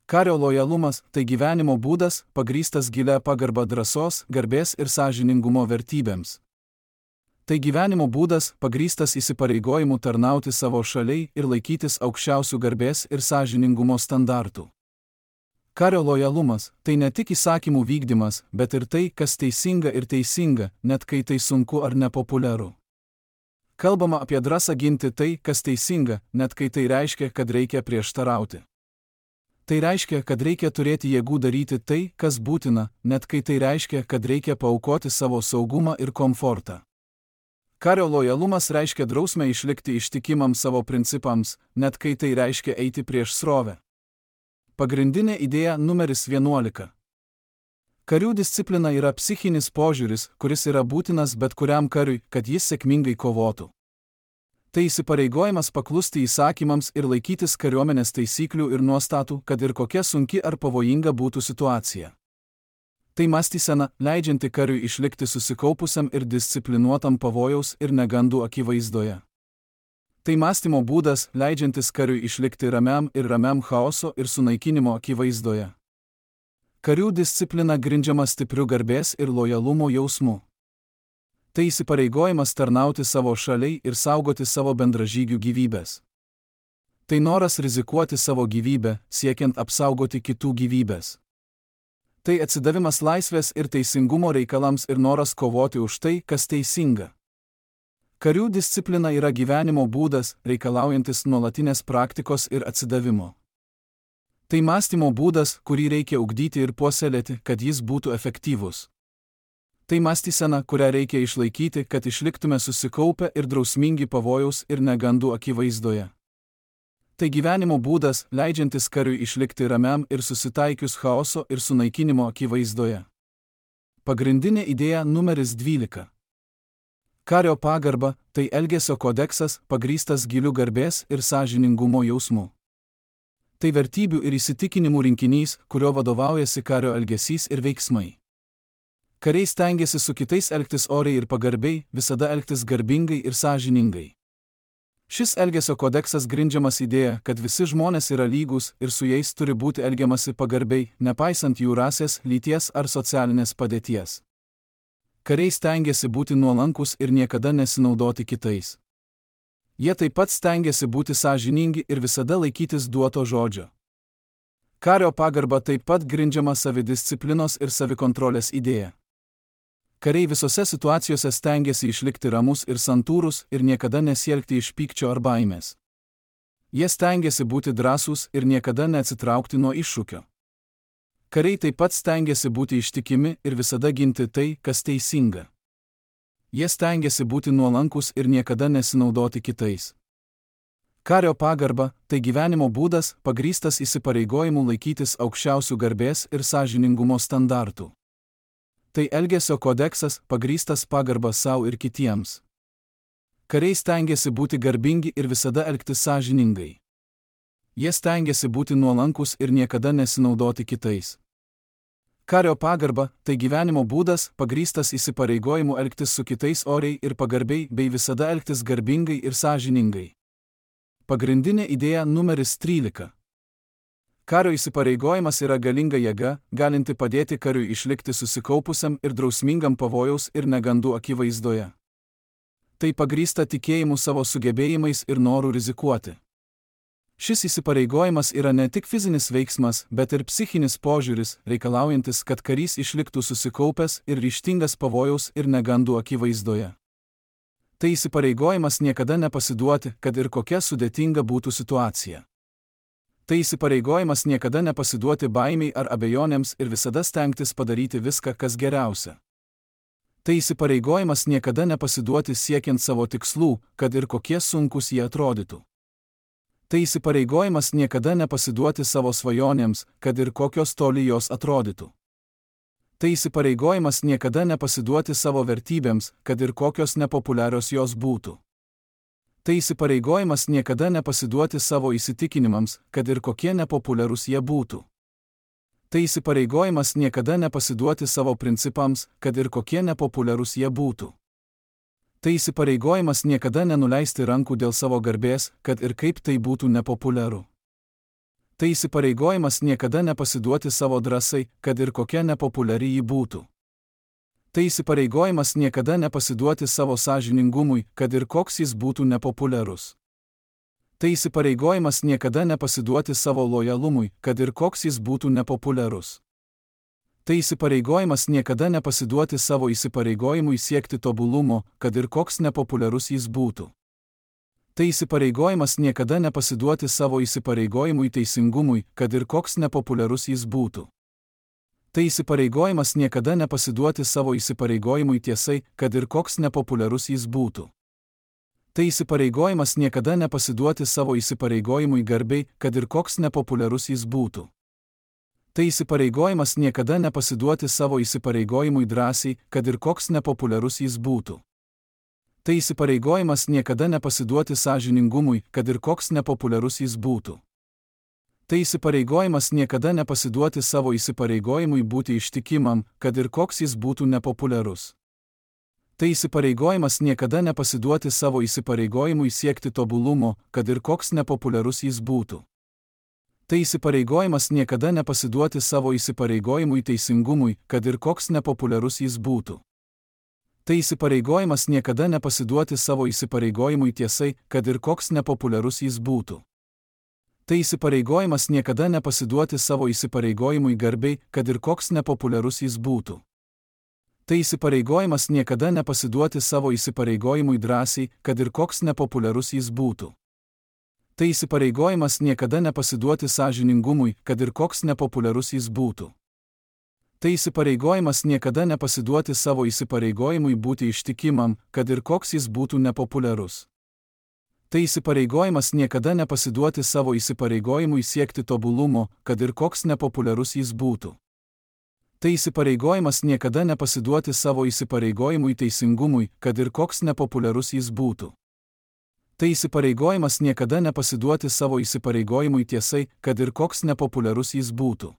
A: Kario lojalumas – tai gyvenimo būdas, pagrįstas gilia pagarba drąsos, garbės ir sąžiningumo vertybėms. Tai gyvenimo būdas, pagrįstas įsipareigojimu tarnauti savo šaliai ir laikytis aukščiausių garbės ir sąžiningumo standartų. Kario lojalumas – tai ne tik įsakymų vykdymas, bet ir tai, kas teisinga ir teisinga, net kai tai sunku ar nepopuliaru. Kalbama apie drąsą ginti tai, kas teisinga, net kai tai reiškia, kad reikia prieštarauti. Tai reiškia, kad reikia turėti jėgų daryti tai, kas būtina, net kai tai reiškia, kad reikia paaukoti savo saugumą ir komfortą. Kario lojalumas reiškia drausmę išlikti ištikimam savo principams, net kai tai reiškia eiti prieš srovę. Pagrindinė idėja numeris 11. Karių disciplina yra psichinis požiūris, kuris yra būtinas bet kuriam kariui, kad jis sėkmingai kovotų. Tai įsipareigojimas paklusti įsakymams ir laikytis kariuomenės taisyklių ir nuostatų, kad ir kokia sunki ar pavojinga būtų situacija. Tai mąstysena, leidžianti kariui išlikti susikaupusiam ir disciplinuotam pavojaus ir negandų akivaizdoje. Tai mąstymo būdas, leidžiantis kariui išlikti ramiam chaoso ir sunaikinimo akivaizdoje. Karių disciplina grindžiama stipriu garbės ir lojalumo jausmu. Tai įsipareigojimas tarnauti savo šaliai ir saugoti savo bendražygių gyvybės. Tai noras rizikuoti savo gyvybę, siekiant apsaugoti kitų gyvybės. Tai atsidavimas laisvės ir teisingumo reikalams ir noras kovoti už tai, kas teisinga. Karių disciplina yra gyvenimo būdas, reikalaujantis nuolatinės praktikos ir atsidavimo. Tai mąstymo būdas, kurį reikia ugdyti ir puoselėti, kad jis būtų efektyvus. Tai mąstysena, kurią reikia išlaikyti, kad išliktume susikaupę ir drausmingi pavojaus ir negandų akivaizdoje. Tai gyvenimo būdas, leidžiantis kariui išlikti ramiam ir susitaikius chaoso ir sunaikinimo akivaizdoje. Pagrindinė idėja numeris 12. Kario pagarba – tai elgesio kodeksas, pagrįstas giliu garbės ir sąžiningumo jausmu. Tai vertybių ir įsitikinimų rinkinys, kurio vadovaujasi kario elgesys ir veiksmai. Kariai stengiasi su kitais elgtis oriai ir pagarbiai, visada elgtis garbingai ir sąžiningai. Šis elgesio kodeksas grindžiamas idėja, kad visi žmonės yra lygūs ir su jais turi būti elgiamasi pagarbiai, nepaisant jų rasės, lyties ar socialinės padėties. Kariai stengiasi būti nuolankus ir niekada nesinaudoti kitais. Jie taip pat stengiasi būti sąžiningi ir visada laikytis duoto žodžio. Kario pagarba taip pat grindžiama savidisciplinos ir savikontrolės idėja. Kariai visose situacijose stengiasi išlikti ramus ir santūrus ir niekada nesielgti iš pykčio ar baimės. Jie stengiasi būti drąsūs ir niekada neatsitraukti nuo iššūkio. Kariai taip pat stengiasi būti ištikimi ir visada ginti tai, kas teisinga. Jie stengiasi būti nuolankus ir niekada nesinaudoti kitais. Kario pagarba – tai gyvenimo būdas, pagrįstas įsipareigojimu laikytis aukščiausių garbės ir sąžiningumo standartų. Tai elgesio kodeksas, pagrįstas pagarba savo ir kitiems. Kariai stengiasi būti garbingi ir visada elgtis sąžiningai. Jie stengiasi būti nuolankus ir niekada nesinaudoti kitais. Kario pagarba – tai gyvenimo būdas, pagrįstas įsipareigojimu elgtis su kitais oriai ir pagarbiai bei visada elgtis garbingai ir sąžiningai. Pagrindinė idėja numeris 13. Kario įsipareigojimas yra galinga jėga, galinti padėti kariui išlikti susikaupusiam ir drausmingam pavojaus ir negandų akivaizdoje. Tai pagrįsta tikėjimu savo sugebėjimais ir noru rizikuoti. Šis įsipareigojimas yra ne tik fizinis veiksmas, bet ir psichinis požiūris, reikalaujantis, kad karys išliktų susikaupęs ir ryžtingas pavojaus ir negandų akivaizdoje. Tai įsipareigojimas niekada nepasiduoti, kad ir kokia sudėtinga būtų situacija. Tai įsipareigojimas niekada nepasiduoti baimiai ar abejonėms ir visada stengtis padaryti viską, kas geriausia. Tai įsipareigojimas niekada nepasiduoti siekiant savo tikslų, kad ir kokie sunkus jie atrodytų. Tai įsipareigojimas niekada nepasiduoti savo svajonėms, kad ir kokios toli jos atrodytų. Tai įsipareigojimas niekada nepasiduoti savo vertybėms, kad ir kokios nepopuliarios jos būtų. Tai įsipareigojimas niekada nepasiduoti savo įsitikinimams, kad ir kokie nepopuliarūs jie būtų. Tai įsipareigojimas niekada nepasiduoti savo principams, kad ir kokie nepopuliarūs jie būtų. Tai įsipareigojimas niekada nenuleisti rankų dėl savo garbės, kad ir kaip tai būtų nepopuliaru. Tai įsipareigojimas niekada nepasiduoti savo drąsai, kad ir kokia nepopuliari ji būtų. Tai įsipareigojimas niekada nepasiduoti savo sąžiningumui, kad ir koks jis būtų nepopuliarus. Tai įsipareigojimas niekada nepasiduoti savo lojalumui, kad ir koks jis būtų nepopuliarus. Tai įsipareigojimas niekada nepasiduoti savo įsipareigojimui siekti tobulumo, kad ir koks nepopuliarus jis būtų. Tai įsipareigojimas niekada nepasiduoti savo įsipareigojimui teisingumui, kad ir koks nepopuliarus jis būtų. Tai įsipareigojimas niekada nepasiduoti savo įsipareigojimui tiesai, kad ir koks nepopuliarus jis būtų. Tai įsipareigojimas niekada nepasiduoti savo įsipareigojimui garbei, kad ir koks nepopuliarus jis būtų. Tai įsipareigojimas niekada nepasiduoti savo įsipareigojimui drąsiai, kad ir koks nepopuliarus jis būtų. Tai įsipareigojimas niekada nepasiduoti sąžiningumui, kad ir koks nepopuliarus jis būtų. Tai įsipareigojimas niekada nepasiduoti savo įsipareigojimui būti ištikimam, kad ir koks jis būtų nepopuliarus. Tai įsipareigojimas niekada nepasiduoti savo įsipareigojimui siekti tobulumo, kad ir koks nepopuliarus jis būtų. Tai įsipareigojimas niekada nepasiduoti savo įsipareigojimui teisingumui, kad ir koks nepopuliarus jis būtų. Tai įsipareigojimas niekada nepasiduoti savo įsipareigojimui tiesai, kad ir koks nepopuliarus jis būtų. Tai įsipareigojimas niekada nepasiduoti savo įsipareigojimui garbei, kad ir koks nepopuliarus jis būtų. Tai įsipareigojimas niekada nepasiduoti savo įsipareigojimui drąsiai, kad ir koks nepopuliarus jis būtų. Tai įsipareigojimas niekada nepasiduoti sąžiningumui, kad ir koks nepopuliarus jis būtų. Tai įsipareigojimas niekada nepasiduoti savo įsipareigojimui būti ištikimam, kad ir koks jis būtų nepopuliarus. Tai įsipareigojimas niekada nepasiduoti savo įsipareigojimui siekti tobulumo, kad ir koks nepopuliarus jis būtų. Tai įsipareigojimas niekada nepasiduoti savo įsipareigojimui teisingumui, kad ir koks nepopuliarus jis būtų. Tai įsipareigojimas niekada nepasiduoti savo įsipareigojimui tiesai, kad ir koks nepopuliarus jis būtų.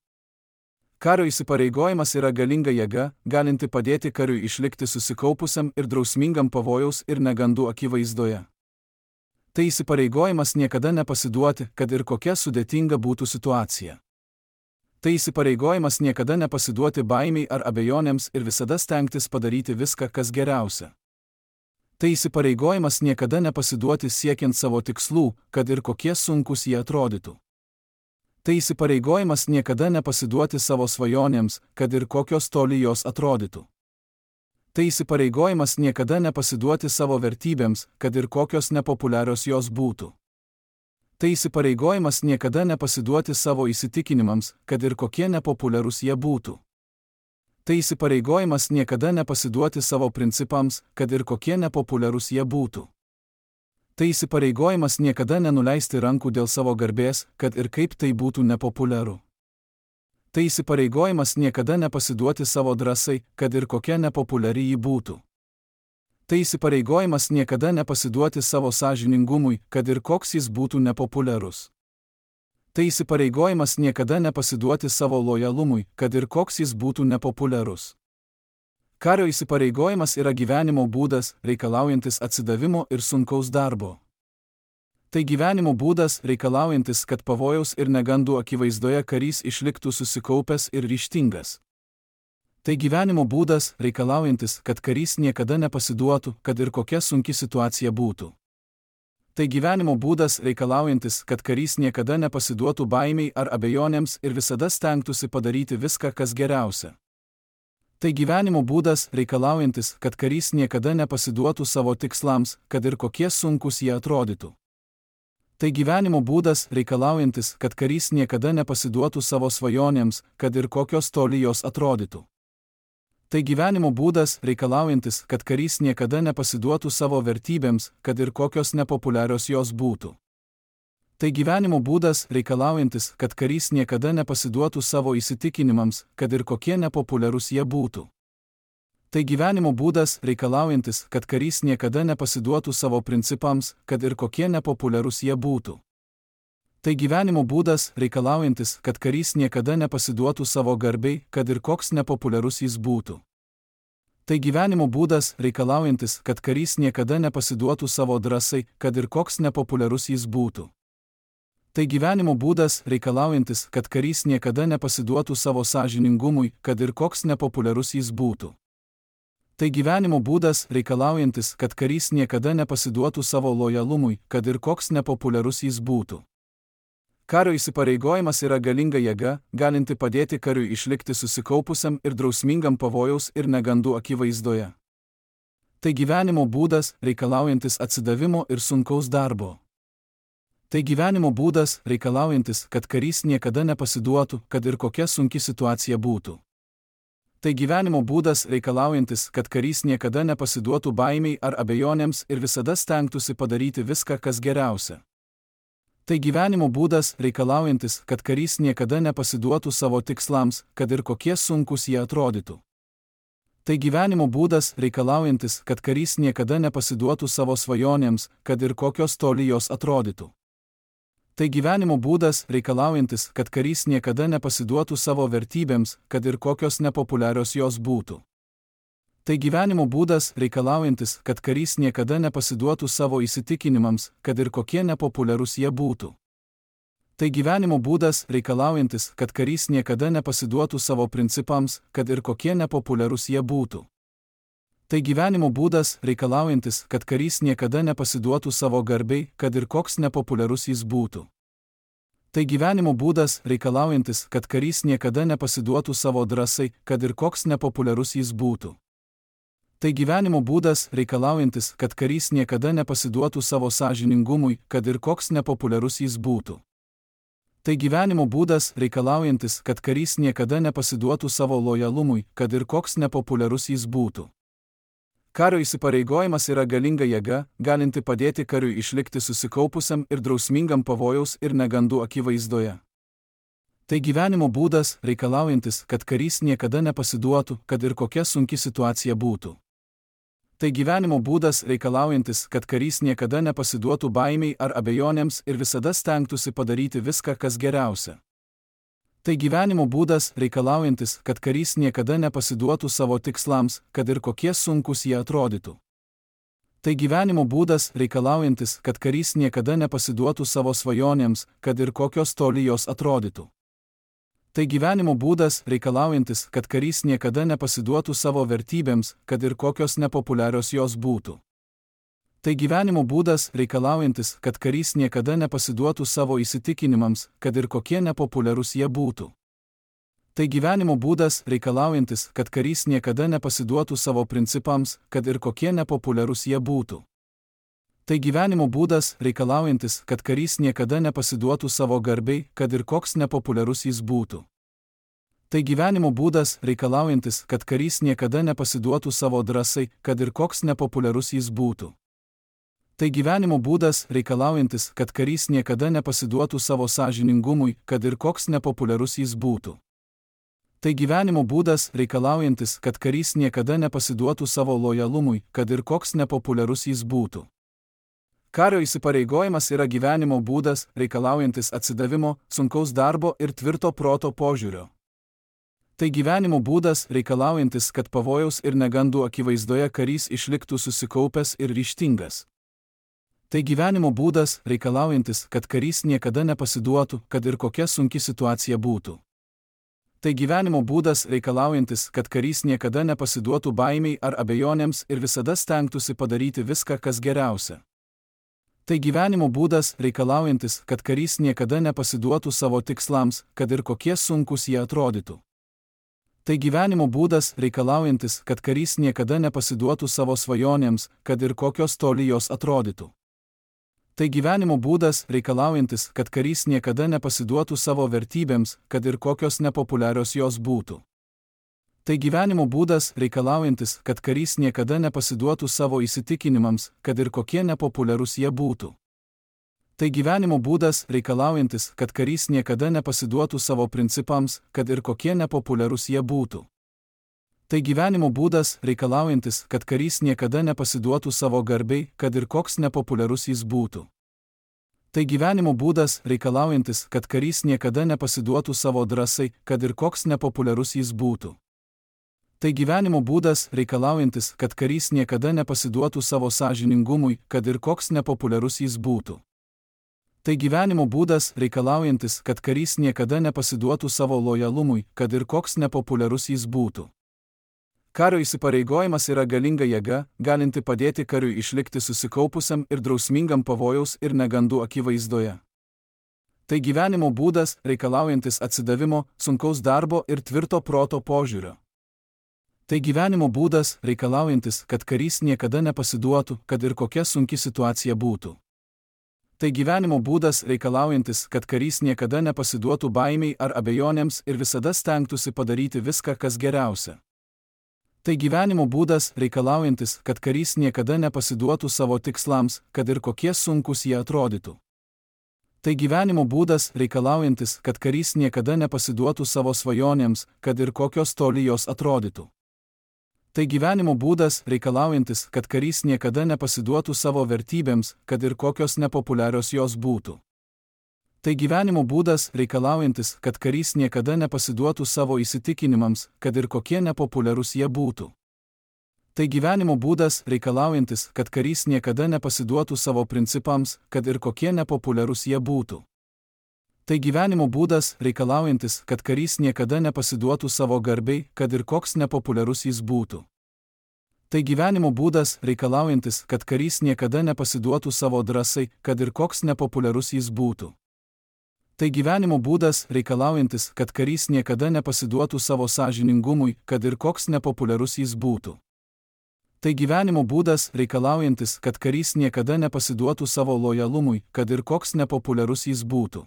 A: Kario įsipareigojimas yra galinga jėga, galinti padėti kariui išlikti susikaupusiam ir drausmingam pavojaus ir negandų akivaizdoje. Tai įsipareigojimas niekada nepasiduoti, kad ir kokia sudėtinga būtų situacija. Tai įsipareigojimas niekada nepasiduoti baimiai ar abejonėms ir visada stengtis padaryti viską, kas geriausia. Tai įsipareigojimas niekada nepasiduoti siekiant savo tikslų, kad ir kokie sunkus jie atrodytų. Tai įsipareigojimas niekada nepasiduoti savo svajonėms, kad ir kokios toli jos atrodytų. Tai įsipareigojimas niekada nepasiduoti savo vertybėms, kad ir kokios nepopuliarios jos būtų. Tai įsipareigojimas niekada nepasiduoti savo įsitikinimams, kad ir kokie nepopuliarūs jie būtų. Tai įsipareigojimas niekada nepasiduoti savo principams, kad ir kokie nepopuliarūs jie būtų. Tai įsipareigojimas niekada nenuleisti rankų dėl savo garbės, kad ir kaip tai būtų nepopuliaru. Tai įsipareigojimas niekada nepasiduoti savo drąsai, kad ir kokia nepopuliari ji būtų. Tai įsipareigojimas niekada nepasiduoti savo sąžiningumui, kad ir koks jis būtų nepopuliarus. Tai įsipareigojimas niekada nepasiduoti savo lojalumui, kad ir koks jis būtų nepopuliarus. Kario įsipareigojimas yra gyvenimo būdas, reikalaujantis atsidavimo ir sunkaus darbo. Tai gyvenimo būdas, reikalaujantis, kad pavojaus ir negandų akivaizdoje karys išliktų susikaupęs ir ryžtingas. Tai gyvenimo būdas, reikalaujantis, kad karys niekada nepasiduotų, kad ir kokia sunki situacija būtų. Tai gyvenimo būdas reikalaujantis, kad karys niekada nepasiduotų baimiai ar abejonėms ir visada stengtųsi padaryti viską, kas geriausia. Tai gyvenimo būdas reikalaujantis, kad karys niekada nepasiduotų savo tikslams, kad ir kokie sunkus jie atrodytų. Tai gyvenimo būdas reikalaujantis, kad karys niekada nepasiduotų savo svajonėms, kad ir kokios toli jos atrodytų. Tai gyvenimo būdas reikalaujantis, kad karys niekada nepasiduotų savo vertybėms, kad ir kokios nepopuliarios jos būtų. Tai gyvenimo būdas reikalaujantis, kad karys niekada nepasiduotų savo įsitikinimams, kad ir kokie nepopuliarūs jie būtų. Tai gyvenimo būdas reikalaujantis, kad karys niekada nepasiduotų savo principams, kad ir kokie nepopuliarūs jie būtų. Tai gyvenimo būdas reikalaujantis, kad karys niekada nepasiduotų savo garbei, kad ir koks nepopuliarus jis būtų. Tai gyvenimo būdas reikalaujantis, kad karys niekada nepasiduotų savo drąsai, kad ir koks nepopuliarus jis būtų. Tai gyvenimo būdas reikalaujantis, kad karys niekada nepasiduotų savo sąžiningumui, kad ir koks nepopuliarus jis būtų. Tai gyvenimo būdas reikalaujantis, kad karys niekada nepasiduotų savo lojalumui, kad ir koks nepopuliarus jis būtų. Kario įsipareigojimas yra galinga jėga, galinti padėti kariui išlikti susikaupusiam ir drausmingam pavojaus ir negandų akivaizdoje. Tai gyvenimo būdas reikalaujantis atsidavimo ir sunkaus darbo. Tai gyvenimo būdas reikalaujantis, kad karys niekada nepasiduotų, kad ir kokia sunki situacija būtų. Tai gyvenimo būdas reikalaujantis, kad karys niekada nepasiduotų baimiai ar abejonėms ir visada stengtųsi padaryti viską, kas geriausia. Tai gyvenimo būdas reikalaujantis, kad karys niekada nepasiduotų savo tikslams, kad ir kokie sunkus jie atrodytų. Tai gyvenimo būdas reikalaujantis, kad karys niekada nepasiduotų savo svajonėms, kad ir kokios toli jos atrodytų. Tai gyvenimo būdas reikalaujantis, kad karys niekada nepasiduotų savo vertybėms, kad ir kokios nepopuliarios jos būtų. Tai gyvenimo būdas reikalaujantis, kad karys niekada nepasiduotų savo įsitikinimams, kad ir kokie nepopuliarūs jie būtų. Tai gyvenimo būdas reikalaujantis, kad karys niekada nepasiduotų savo principams, kad ir kokie nepopuliarūs jie būtų. Tai gyvenimo būdas reikalaujantis, kad karys niekada nepasiduotų savo garbei, kad ir koks nepopuliarus jis būtų. Tai gyvenimo būdas reikalaujantis, kad karys niekada nepasiduotų savo drąsai, kad ir koks nepopuliarus jis būtų. Tai gyvenimo būdas reikalaujantis, kad karys niekada nepasiduotų savo sąžiningumui, kad ir koks nepopuliarus jis būtų. Tai gyvenimo būdas reikalaujantis, kad karys niekada nepasiduotų savo lojalumui, kad ir koks nepopuliarus jis būtų. Kario įsipareigojimas yra galinga jėga, galinti padėti kariui išlikti susikaupusiam ir drausmingam pavojaus ir negandų akivaizdoje. Tai gyvenimo būdas reikalaujantis, kad karys niekada nepasiduotų, kad ir kokia sunki situacija būtų. Tai gyvenimo būdas reikalaujantis, kad karys niekada nepasiduotų baimiai ar abejonėms ir visada stengtųsi padaryti viską, kas geriausia. Tai gyvenimo būdas reikalaujantis, kad karys niekada nepasiduotų savo tikslams, kad ir kokie sunkus jie atrodytų. Tai gyvenimo būdas reikalaujantis, kad karys niekada nepasiduotų savo svajonėms, kad ir kokios toli jos atrodytų. Tai gyvenimo būdas reikalaujantis, kad karys niekada nepasiduotų savo vertybėms, kad ir kokios nepopuliarios jos būtų. Tai gyvenimo būdas reikalaujantis, kad karys niekada nepasiduotų savo įsitikinimams, kad ir kokie nepopuliarūs jie būtų. Tai gyvenimo būdas reikalaujantis, kad karys niekada nepasiduotų savo principams, kad ir kokie nepopuliarūs jie būtų. Tai gyvenimo būdas reikalaujantis, kad karys niekada nepasiduotų savo garbei, kad ir koks nepopuliarus jis būtų. Tai gyvenimo būdas reikalaujantis, kad karys niekada nepasiduotų savo drąsai, kad ir koks nepopuliarus jis būtų. Tai gyvenimo būdas reikalaujantis, kad karys niekada nepasiduotų savo sąžiningumui, kad ir koks nepopuliarus jis būtų. Tai gyvenimo būdas reikalaujantis, kad karys niekada nepasiduotų savo lojalumui, kad ir koks nepopuliarus jis būtų. Kario įsipareigojimas yra gyvenimo būdas, reikalaujantis atsidavimo, sunkaus darbo ir tvirto proto požiūrio. Tai gyvenimo būdas reikalaujantis, kad pavojaus ir negandų akivaizdoje karys išliktų susikaupęs ir ryžtingas. Tai gyvenimo būdas reikalaujantis, kad karys niekada nepasiduotų, kad ir kokia sunki situacija būtų. Tai gyvenimo būdas reikalaujantis, kad karys niekada nepasiduotų baimiai ar abejonėms ir visada stengtųsi padaryti viską, kas geriausia. Tai gyvenimo būdas reikalaujantis, kad karys niekada nepasiduotų savo tikslams, kad ir kokie sunkus jie atrodytų. Tai gyvenimo būdas reikalaujantis, kad karys niekada nepasiduotų savo svajonėms, kad ir kokios toli jos atrodytų. Tai gyvenimo būdas reikalaujantis, kad karys niekada nepasiduotų savo vertybėms, kad ir kokios nepopuliarios jos būtų. Tai gyvenimo būdas reikalaujantis, kad karys niekada nepasiduotų savo įsitikinimams, kad ir kokie nepopuliarūs jie būtų. Tai gyvenimo būdas reikalaujantis, kad karys niekada nepasiduotų savo principams, kad ir kokie nepopuliarūs jie būtų. Tai gyvenimo būdas reikalaujantis, kad karys niekada nepasiduotų savo garbei, kad ir koks nepopuliarus jis būtų. Tai gyvenimo būdas reikalaujantis, kad karys niekada nepasiduotų savo drąsai, kad ir koks nepopuliarus jis būtų. Tai gyvenimo būdas reikalaujantis, kad karys niekada nepasiduotų savo sąžiningumui, kad ir koks nepopuliarus jis būtų. Tai gyvenimo būdas reikalaujantis, kad karys niekada nepasiduotų savo lojalumui, kad ir koks nepopuliarus jis būtų. Kario įsipareigojimas yra galinga jėga, galinti padėti kariui išlikti susikaupusiam ir drausmingam pavojaus ir negandų akivaizdoje. Tai gyvenimo būdas reikalaujantis atsidavimo, sunkaus darbo ir tvirto proto požiūrio. Tai gyvenimo būdas reikalaujantis, kad karys niekada nepasiduotų, kad ir kokia sunki situacija būtų. Tai gyvenimo būdas reikalaujantis, kad karys niekada nepasiduotų baimiai ar abejonėms ir visada stengtųsi padaryti viską, kas geriausia. Tai gyvenimo būdas reikalaujantis, kad karys niekada nepasiduotų savo tikslams, kad ir kokie sunkus jie atrodytų. Tai gyvenimo būdas reikalaujantis, kad karys niekada nepasiduotų savo svajonėms, kad ir kokios toli jos atrodytų. Tai gyvenimo būdas reikalaujantis, kad karys niekada nepasiduotų savo vertybėms, kad ir kokios nepopuliarios jos būtų. Tai gyvenimo būdas reikalaujantis, kad karys niekada nepasiduotų savo įsitikinimams, kad ir kokie nepopuliarūs jie būtų. Tai gyvenimo būdas reikalaujantis, kad karys niekada nepasiduotų savo principams, kad ir kokie nepopuliarūs jie būtų. Tai gyvenimo būdas reikalaujantis, kad karys niekada nepasiduotų savo garbei, kad ir koks nepopuliarus jis būtų. Tai gyvenimo būdas reikalaujantis, kad karys niekada nepasiduotų savo drąsai, kad ir koks nepopuliarus jis būtų. Tai gyvenimo būdas reikalaujantis, kad karys niekada nepasiduotų savo sąžiningumui, kad ir koks nepopuliarus jis būtų. Tai gyvenimo būdas reikalaujantis, kad karys niekada nepasiduotų savo lojalumui, kad ir koks nepopuliarus jis būtų.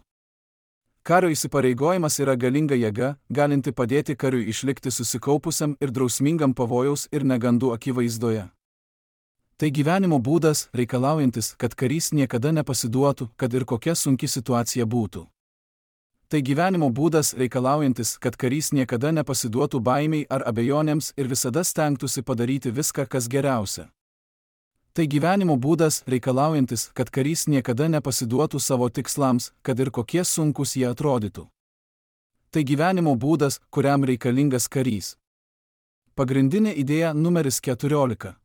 A: Kario įsipareigojimas yra galinga jėga, galinti padėti kariui išlikti susikaupusiam ir drausmingam pavojaus ir negandų akivaizdoje. Tai gyvenimo būdas reikalaujantis, kad karys niekada nepasiduotų, kad ir kokia sunki situacija būtų. Tai gyvenimo būdas reikalaujantis, kad karys niekada nepasiduotų baimiai ar abejonėms ir visada stengtųsi padaryti viską, kas geriausia. Tai gyvenimo būdas reikalaujantis, kad karys niekada nepasiduotų savo tikslams, kad ir kokie sunkus jie atrodytų. Tai gyvenimo būdas, kuriam reikalingas karys. Pagrindinė idėja numeris 14.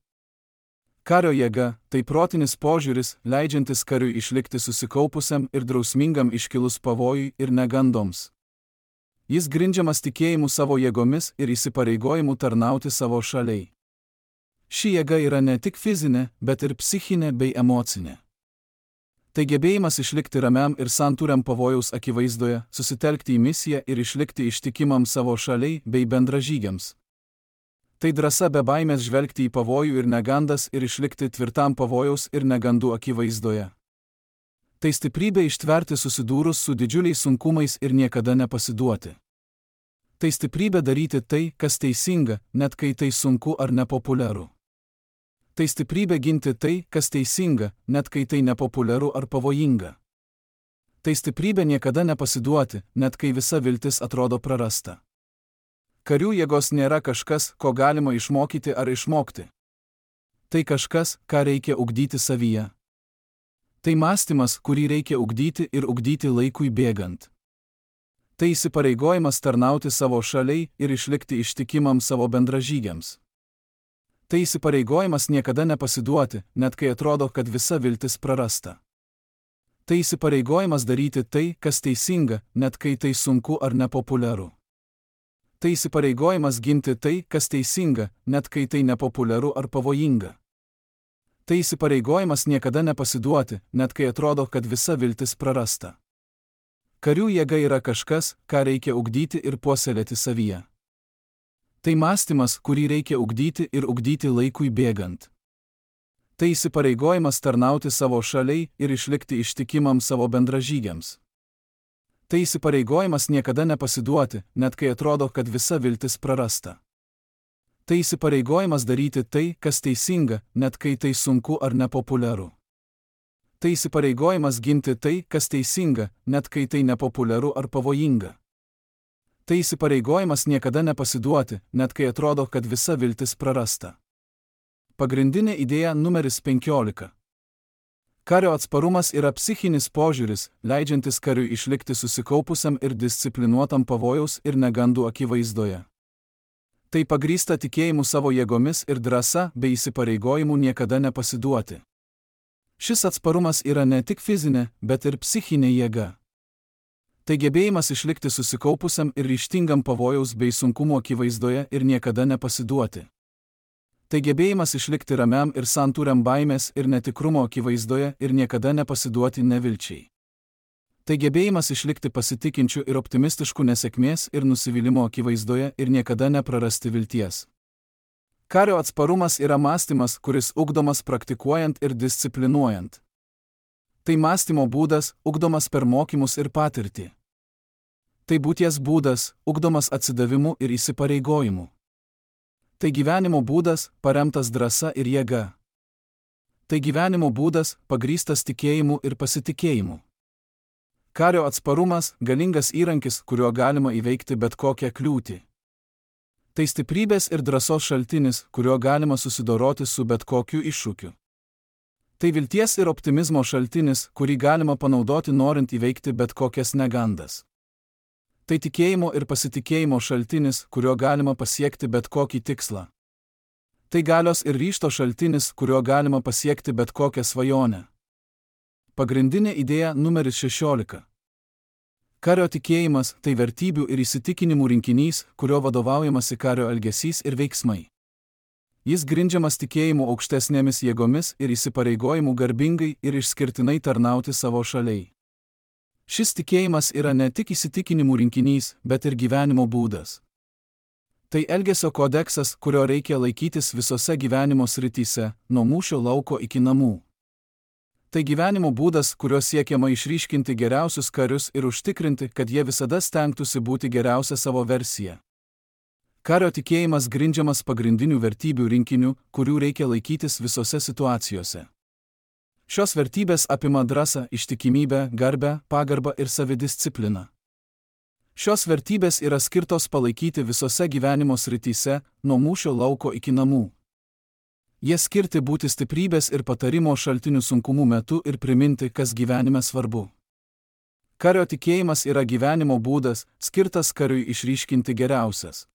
A: Kario jėga – tai protinis požiūris, leidžiantis kariui išlikti susikaupusiam ir drausmingam iškilus pavojui ir negandoms. Jis grindžiamas tikėjimu savo jėgomis ir įsipareigojimu tarnauti savo šaliai. Ši jėga yra ne tik fizinė, bet ir psichinė bei emocinė. Tai gebėjimas išlikti ramiam ir santūriam pavojaus akivaizdoje, susitelkti į misiją ir išlikti ištikimam savo šaliai bei bendražygiams. Tai drąsa be baimės žvelgti į pavojų ir negandas ir išlikti tvirtam pavojaus ir negandų akivaizdoje. Tai stiprybė ištverti susidūrus su didžiuliais sunkumais ir niekada nepasiduoti. Tai stiprybė daryti tai, kas teisinga, net kai tai sunku ar nepopuliaru. Tai stiprybė ginti tai, kas teisinga, net kai tai nepopuliaru ar pavojinga. Tai stiprybė niekada nepasiduoti, net kai visa viltis atrodo prarasta. Karių jėgos nėra kažkas, ko galima išmokyti ar išmokti. Tai kažkas, ką reikia ugdyti savyje. Tai mąstymas, kurį reikia ugdyti ir ugdyti laikui bėgant. Tai įsipareigojimas tarnauti savo šaliai ir išlikti ištikimam savo bendražygiams. Tai įsipareigojimas niekada nepasiduoti, net kai atrodo, kad visa viltis prarasta. Tai įsipareigojimas daryti tai, kas teisinga, net kai tai sunku ar nepopuliaru. Tai įsipareigojimas ginti tai, kas teisinga, net kai tai nepopuliaru ar pavojinga. Tai įsipareigojimas niekada nepasiduoti, net kai atrodo, kad visa viltis prarasta. Karių jėga yra kažkas, ką reikia ugdyti ir puoselėti savyje. Tai mąstymas, kurį reikia ugdyti ir ugdyti laikui bėgant. Tai įsipareigojimas tarnauti savo šaliai ir išlikti ištikimam savo bendražygiams. Tai įsipareigojimas niekada nepasiduoti, net kai atrodo, kad visa viltis prarasta. Tai įsipareigojimas daryti tai, kas teisinga, net kai tai sunku ar nepopuliaru. Tai įsipareigojimas ginti tai, kas teisinga, net kai tai nepopuliaru ar pavojinga. Tai įsipareigojimas niekada nepasiduoti, net kai atrodo, kad visa viltis prarasta. Pagrindinė idėja numeris 15. Kario atsparumas yra psichinis požiūris, leidžiantis kariui išlikti susikaupusiam ir disciplinuotam pavojaus ir negandų akivaizdoje. Tai pagrįsta tikėjimu savo jėgomis ir drąsa bei įsipareigojimu niekada nepasiduoti. Šis atsparumas yra ne tik fizinė, bet ir psichinė jėga. Tai gebėjimas išlikti susikaupusiam ir ryžtingam pavojaus bei sunkumų akivaizdoje ir niekada nepasiduoti. Tai gebėjimas išlikti ramiam ir santūriam baimės ir netikrumo akivaizdoje ir niekada nepasiduoti nevilčiai. Tai gebėjimas išlikti pasitikinčiu ir optimistišku nesėkmės ir nusivylimo akivaizdoje ir niekada neprarasti vilties. Kario atsparumas yra mąstymas, kuris ugdomas praktikuojant ir disciplinuojant. Tai mąstymo būdas, ugdomas per mokymus ir patirtį. Tai būties būdas, ugdomas atsidavimu ir įsipareigojimu. Tai gyvenimo būdas, paremtas drąsa ir jėga. Tai gyvenimo būdas, pagrįstas tikėjimu ir pasitikėjimu. Kario atsparumas – galingas įrankis, kuriuo galima įveikti bet kokią kliūtį. Tai stiprybės ir drąsos šaltinis, kuriuo galima susidoroti su bet kokiu iššūkiu. Tai vilties ir optimizmo šaltinis, kurį galima panaudoti norint įveikti bet kokias negandas. Tai tikėjimo ir pasitikėjimo šaltinis, kuriuo galima pasiekti bet kokį tikslą. Tai galios ir ryžto šaltinis, kuriuo galima pasiekti bet kokią svajonę. Pagrindinė idėja numeris 16. Kario tikėjimas – tai vertybių ir įsitikinimų rinkinys, kurio vadovaujamasi kario elgesys ir veiksmai. Jis grindžiamas tikėjimu aukštesnėmis jėgomis ir įsipareigojimu garbingai ir išskirtinai tarnauti savo šaliai. Šis tikėjimas yra ne tik įsitikinimų rinkinys, bet ir gyvenimo būdas. Tai elgesio kodeksas, kurio reikia laikytis visose gyvenimo srityse, nuo mūšio lauko iki namų. Tai gyvenimo būdas, kuriuo siekiama išryškinti geriausius karius ir užtikrinti, kad jie visada stengtųsi būti geriausia savo versija. Kario tikėjimas grindžiamas pagrindinių vertybių rinkiniu, kurių reikia laikytis visose situacijose. Šios vertybės apima drąsą, ištikimybę, garbę, pagarbą ir savidiscipliną. Šios vertybės yra skirtos palaikyti visose gyvenimo srityse, nuo mūšio lauko iki namų. Jie skirti būti stiprybės ir patarimo šaltinių sunkumų metu ir priminti, kas gyvenime svarbu. Kario tikėjimas yra gyvenimo būdas, skirtas kariui išryškinti geriausias.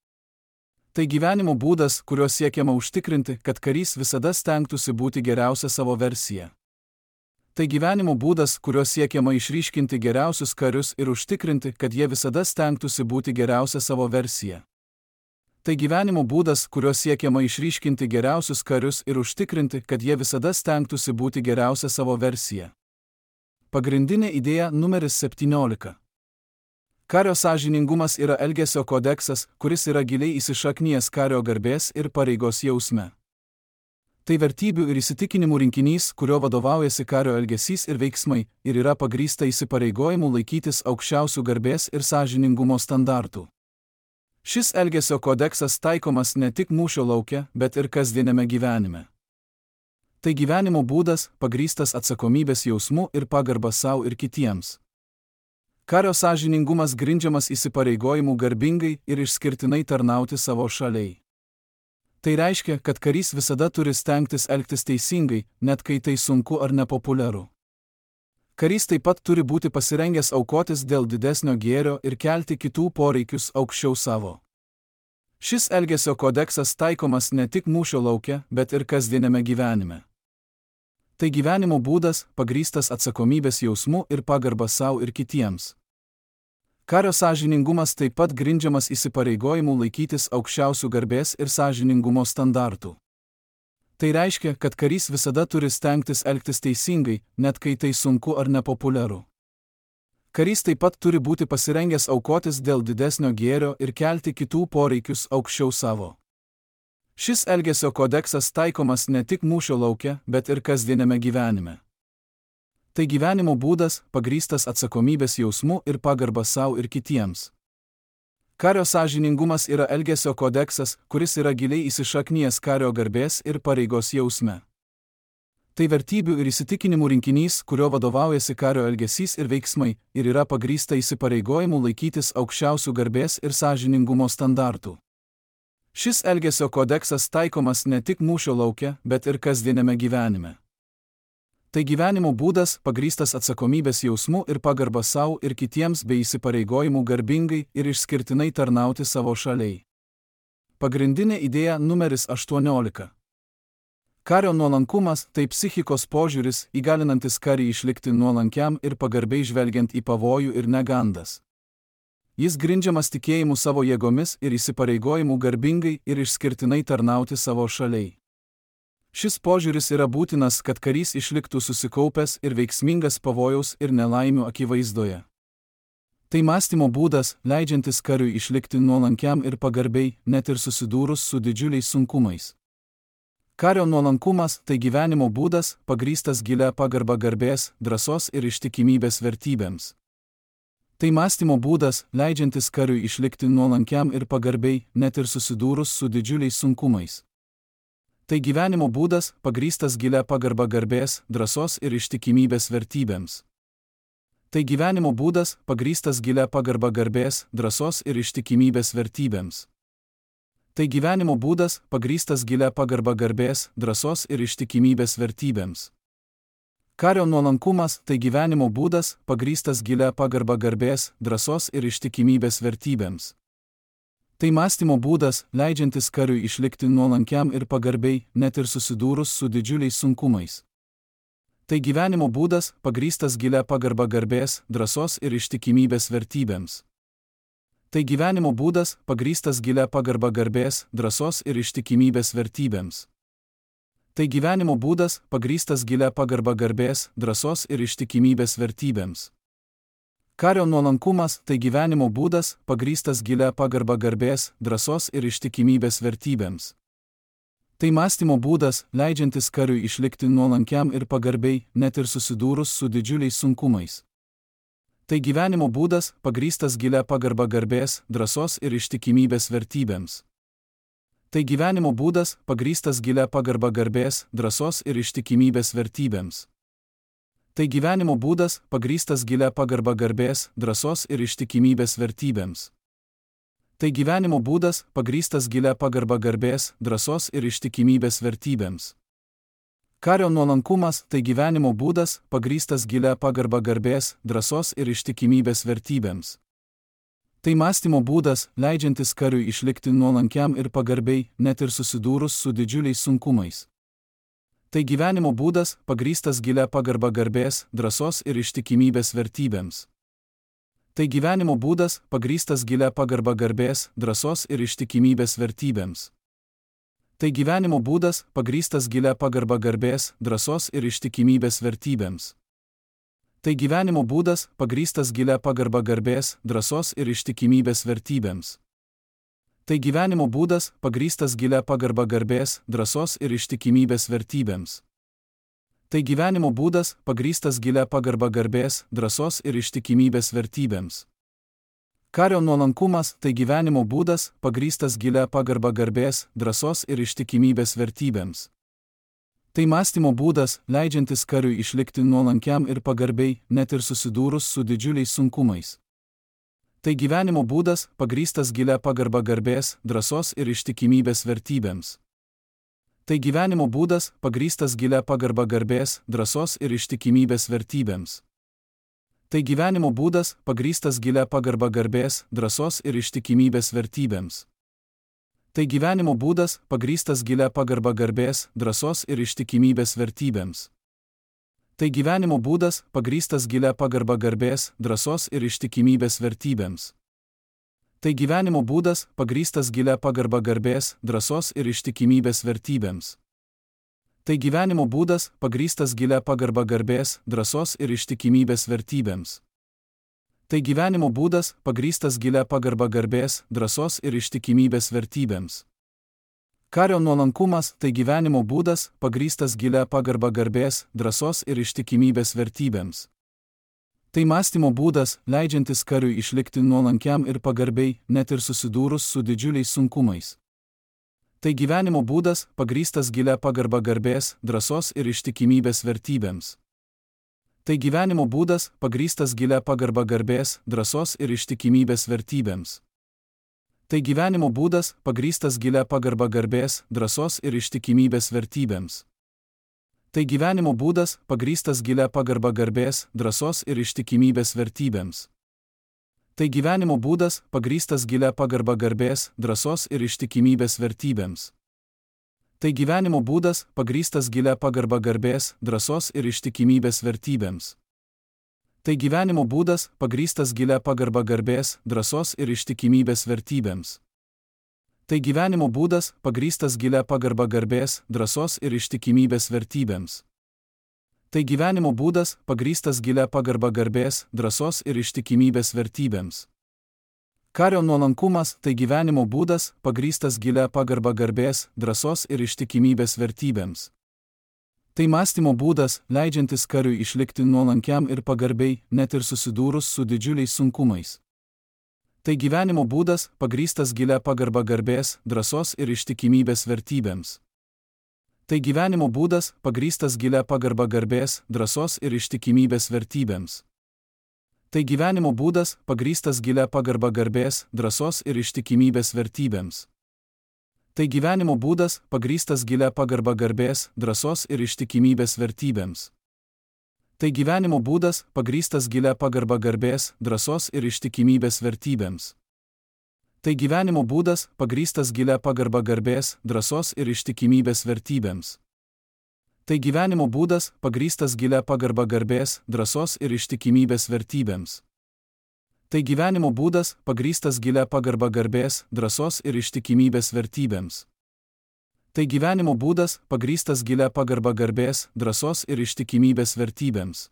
A: Tai gyvenimo būdas, kuriuo siekiama užtikrinti, kad karys visada stengtųsi būti geriausia savo versija. Tai gyvenimo būdas, kuriuo siekiama išryškinti geriausius karius ir užtikrinti, kad jie visada stengtųsi būti geriausia savo versija. Tai gyvenimo būdas, kuriuo siekiama išryškinti geriausius karius ir užtikrinti, kad jie visada stengtųsi būti geriausia savo versija. Pagrindinė idėja numeris 17. Kario sąžiningumas yra elgesio kodeksas, kuris yra giliai įsišaknijęs kario garbės ir pareigos jausme. Tai vertybių ir įsitikinimų rinkinys, kurio vadovaujasi kario elgesys ir veiksmai, ir yra pagrįsta įsipareigojimu laikytis aukščiausių garbės ir sąžiningumo standartų. Šis elgesio kodeksas taikomas ne tik mūšio lauke, bet ir kasdieniame gyvenime. Tai gyvenimo būdas, pagrįstas atsakomybės jausmu ir pagarba savo ir kitiems. Kario sąžiningumas grindžiamas įsipareigojimu garbingai ir išskirtinai tarnauti savo šaliai. Tai reiškia, kad karys visada turi stengtis elgtis teisingai, net kai tai sunku ar nepopuliaru. Karys taip pat turi būti pasirengęs aukotis dėl didesnio gėrio ir kelti kitų poreikius aukščiau savo. Šis elgesio kodeksas taikomas ne tik mūšio lauke, bet ir kasdieniame gyvenime. Tai gyvenimo būdas, pagrįstas atsakomybės jausmu ir pagarba savo ir kitiems. Kario sąžiningumas taip pat grindžiamas įsipareigojimu laikytis aukščiausių garbės ir sąžiningumo standartų. Tai reiškia, kad karys visada turi stengtis elgtis teisingai, net kai tai sunku ar nepopuliaru. Karys taip pat turi būti pasirengęs aukotis dėl didesnio gėrio ir kelti kitų poreikius aukščiau savo. Šis elgesio kodeksas taikomas ne tik mūšio lauke, bet ir kasdieniame gyvenime. Tai gyvenimo būdas, pagrįstas atsakomybės jausmu ir pagarba savo ir kitiems. Kario sąžiningumas yra elgesio kodeksas, kuris yra giliai įsišaknijęs kario garbės ir pareigos jausme. Tai vertybių ir įsitikinimų rinkinys, kurio vadovaujasi kario elgesys ir veiksmai, ir yra pagrįsta įsipareigojimu laikytis aukščiausių garbės ir sąžiningumo standartų. Šis elgesio kodeksas taikomas ne tik mūšio lauke, bet ir kasdieniame gyvenime. Tai gyvenimo būdas, pagrįstas atsakomybės jausmu ir pagarba savo ir kitiems bei įsipareigojimu garbingai ir išskirtinai tarnauti savo šaliai. Pagrindinė idėja numeris 18. Kario nuolankumas – tai psichikos požiūris, įgalinantis karį išlikti nuolankiam ir pagarbiai žvelgiant į pavojų ir negandas. Jis grindžiamas tikėjimu savo jėgomis ir įsipareigojimu garbingai ir išskirtinai tarnauti savo šaliai. Šis požiūris yra būtinas, kad karys išliktų susikaupęs ir veiksmingas pavojaus ir nelaimių akivaizdoje. Tai mąstymo būdas, leidžiantis kariui išlikti nuolankiam ir pagarbiai, net ir susidūrus su didžiuliais sunkumais. Kario nuolankumas – tai gyvenimo būdas, pagrįstas gilia pagarba garbės, drąsos ir ištikimybės vertybėms. Tai mąstymo būdas, leidžiantis kariui išlikti nuolankiam ir pagarbiai, net ir susidūrus su didžiuliais sunkumais. Tai gyvenimo būdas, pagrįstas gilia pagarba garbės, drąsos ir ištikimybės vertybėms. Tai gyvenimo būdas, pagrįstas gilia pagarba garbės, drąsos ir ištikimybės vertybėms. Tai gyvenimo būdas, pagrįstas gilia pagarba garbės, drąsos ir ištikimybės vertybėms. Kario nuolankumas – tai gyvenimo būdas, pagrįstas gilia pagarba garbės, drąsos ir ištikimybės vertybėms. Tai mąstymo būdas, leidžiantis kariui išlikti nuolankiam ir pagarbiai, net ir susidūrus su didžiuliais sunkumais. Tai gyvenimo būdas, pagrįstas gilia pagarba garbės, drąsos ir ištikimybės vertybėms. Tai gyvenimo būdas, pagrįstas gilia pagarba garbės, drąsos ir ištikimybės vertybėms. Tai gyvenimo būdas, pagrįstas gilia pagarba garbės, drąsos ir ištikimybės vertybėms. Kario nuolankumas – tai gyvenimo būdas, pagrįstas gilia pagarba garbės, drąsos ir ištikimybės vertybėms. Tai mąstymo būdas, leidžiantis kariui išlikti nuolankiam ir pagarbiai, net ir susidūrus su didžiuliais sunkumais. Tai gyvenimo būdas, pagrįstas gilia pagarba garbės, drąsos ir ištikimybės vertybėms. Tai gyvenimo būdas, pagrįstas gilia pagarba garbės, drąsos ir ištikimybės vertybėms. Tai gyvenimo būdas, pagrįstas gilia pagarba garbės, drąsos ir ištikimybės vertybėms. Tai gyvenimo būdas, pagrįstas gilia pagarba garbės, drąsos ir ištikimybės vertybėms. Kario nuolankumas – tai gyvenimo būdas, pagrįstas gilia pagarba garbės, drąsos ir ištikimybės vertybėms. Tai mąstymo būdas, leidžiantis kariui išlikti nuolankiam ir pagarbiai, net ir susidūrus su didžiuliais sunkumais. Tai gyvenimo būdas, pagrįstas gilia pagarba garbės, drąsos ir ištikimybės vertybėms. Tai gyvenimo būdas, pagrįstas gilia pagarba garbės, drąsos ir ištikimybės vertybėms. Tai gyvenimo būdas, pagrįstas gilia pagarba garbės, drąsos ir ištikimybės vertybėms. Tai gyvenimo būdas, pagrįstas gilia pagarba garbės, drąsos ir ištikimybės vertybėms. Tai gyvenimo būdas, pagrįstas gilia pagarba garbės, drąsos ir ištikimybės vertybėms. Tai gyvenimo būdas, pagrįstas gilia pagarba garbės, drąsos ir ištikimybės vertybėms. Kario nuolankumas – tai gyvenimo būdas, pagrįstas gilia pagarba garbės, drąsos ir ištikimybės vertybėms. Tai mąstymo būdas, leidžiantis kariui išlikti nuolankiam ir pagarbiai, net ir susidūrus su didžiuliais sunkumais. Tai gyvenimo būdas, pagrįstas gilia pagarba garbės, drąsos ir ištikimybės vertybėms. Tai gyvenimo būdas, pagrįstas gilia pagarba garbės, drąsos ir ištikimybės vertybėms. Tai gyvenimo būdas, pagrįstas gilia pagarba garbės, drąsos ir ištikimybės vertybėms. Tai gyvenimo būdas, pagrįstas gilia pagarba garbės, drąsos ir ištikimybės vertybėms. Tai gyvenimo būdas, pagrįstas gilia pagarba garbės, drąsos ir ištikimybės vertybėms. Tai gyvenimo būdas, pagrįstas gilia pagarba garbės, drąsos ir ištikimybės vertybėms. Tai gyvenimo būdas, pagrįstas gilia pagarba garbės, drąsos ir ištikimybės vertybėms. Tai gyvenimo būdas, pagrįstas gilia pagarba garbės, drąsos ir ištikimybės vertybėms. Kario nuolankumas tai gyvenimo būdas, pagrįstas gilia pagarba garbės, drąsos ir ištikimybės vertybėms. Tai mąstymo būdas, leidžiantis kariui išlikti nuolankiam ir pagarbiai, net ir susidūrus su didžiuliais sunkumais. Tai gyvenimo būdas, pagrįstas gilia pagarba garbės, drąsos ir ištikimybės vertybėms. Tai gyvenimo būdas, pagrįstas gilia pagarba garbės, drąsos ir ištikimybės vertybėms. Tai gyvenimo būdas, pagrįstas gilia pagarba garbės, drąsos ir ištikimybės vertybėms. Tai gyvenimo būdas, pagrįstas gilia pagarba garbės, drąsos ir ištikimybės vertybėms. Tai gyvenimo būdas, pagrįstas gilia pagarba garbės, drąsos ir ištikimybės vertybėms. Tai gyvenimo būdas, pagrįstas gilia pagarba garbės, drąsos ir ištikimybės vertybėms. Tai gyvenimo būdas, pagrįstas gilia pagarba garbės, drąsos ir ištikimybės vertybėms. Tai gyvenimo būdas, pagrįstas gilia pagarba garbės, drąsos ir ištikimybės vertybėms. Tai gyvenimo būdas, pagrįstas gilia pagarba garbės, drąsos ir ištikimybės vertybėms. Kario nuolankumas tai gyvenimo būdas, pagrįstas gilia pagarba garbės, drąsos ir ištikimybės vertybėms. Tai mąstymo būdas, leidžiantis kariui išlikti nuolankiam ir pagarbiai, net ir susidūrus su didžiuliais sunkumais. Tai gyvenimo būdas, pagrįstas gilia pagarba garbės, drąsos ir ištikimybės vertybėms. Tai gyvenimo būdas, pagrįstas gilia pagarba garbės, drąsos ir ištikimybės vertybėms. Tai gyvenimo būdas, pagrįstas gilia pagarba garbės, drąsos ir ištikimybės vertybėms. Tai gyvenimo būdas, pagrįstas gilia pagarba garbės, drąsos ir ištikimybės vertybėms. Tai gyvenimo būdas, pagrįstas gilia pagarba garbės, drąsos ir ištikimybės vertybėms. Tai gyvenimo būdas, pagrįstas gilia pagarba garbės, drąsos ir ištikimybės vertybėms. Tai gyvenimo būdas, pagrįstas gilia pagarba garbės, drąsos ir ištikimybės vertybėms. Tai gyvenimo būdas, pagrįstas gilia pagarba garbės, drąsos ir ištikimybės vertybėms. Tai gyvenimo būdas, pagrįstas gilia pagarba garbės, drąsos ir ištikimybės vertybėms.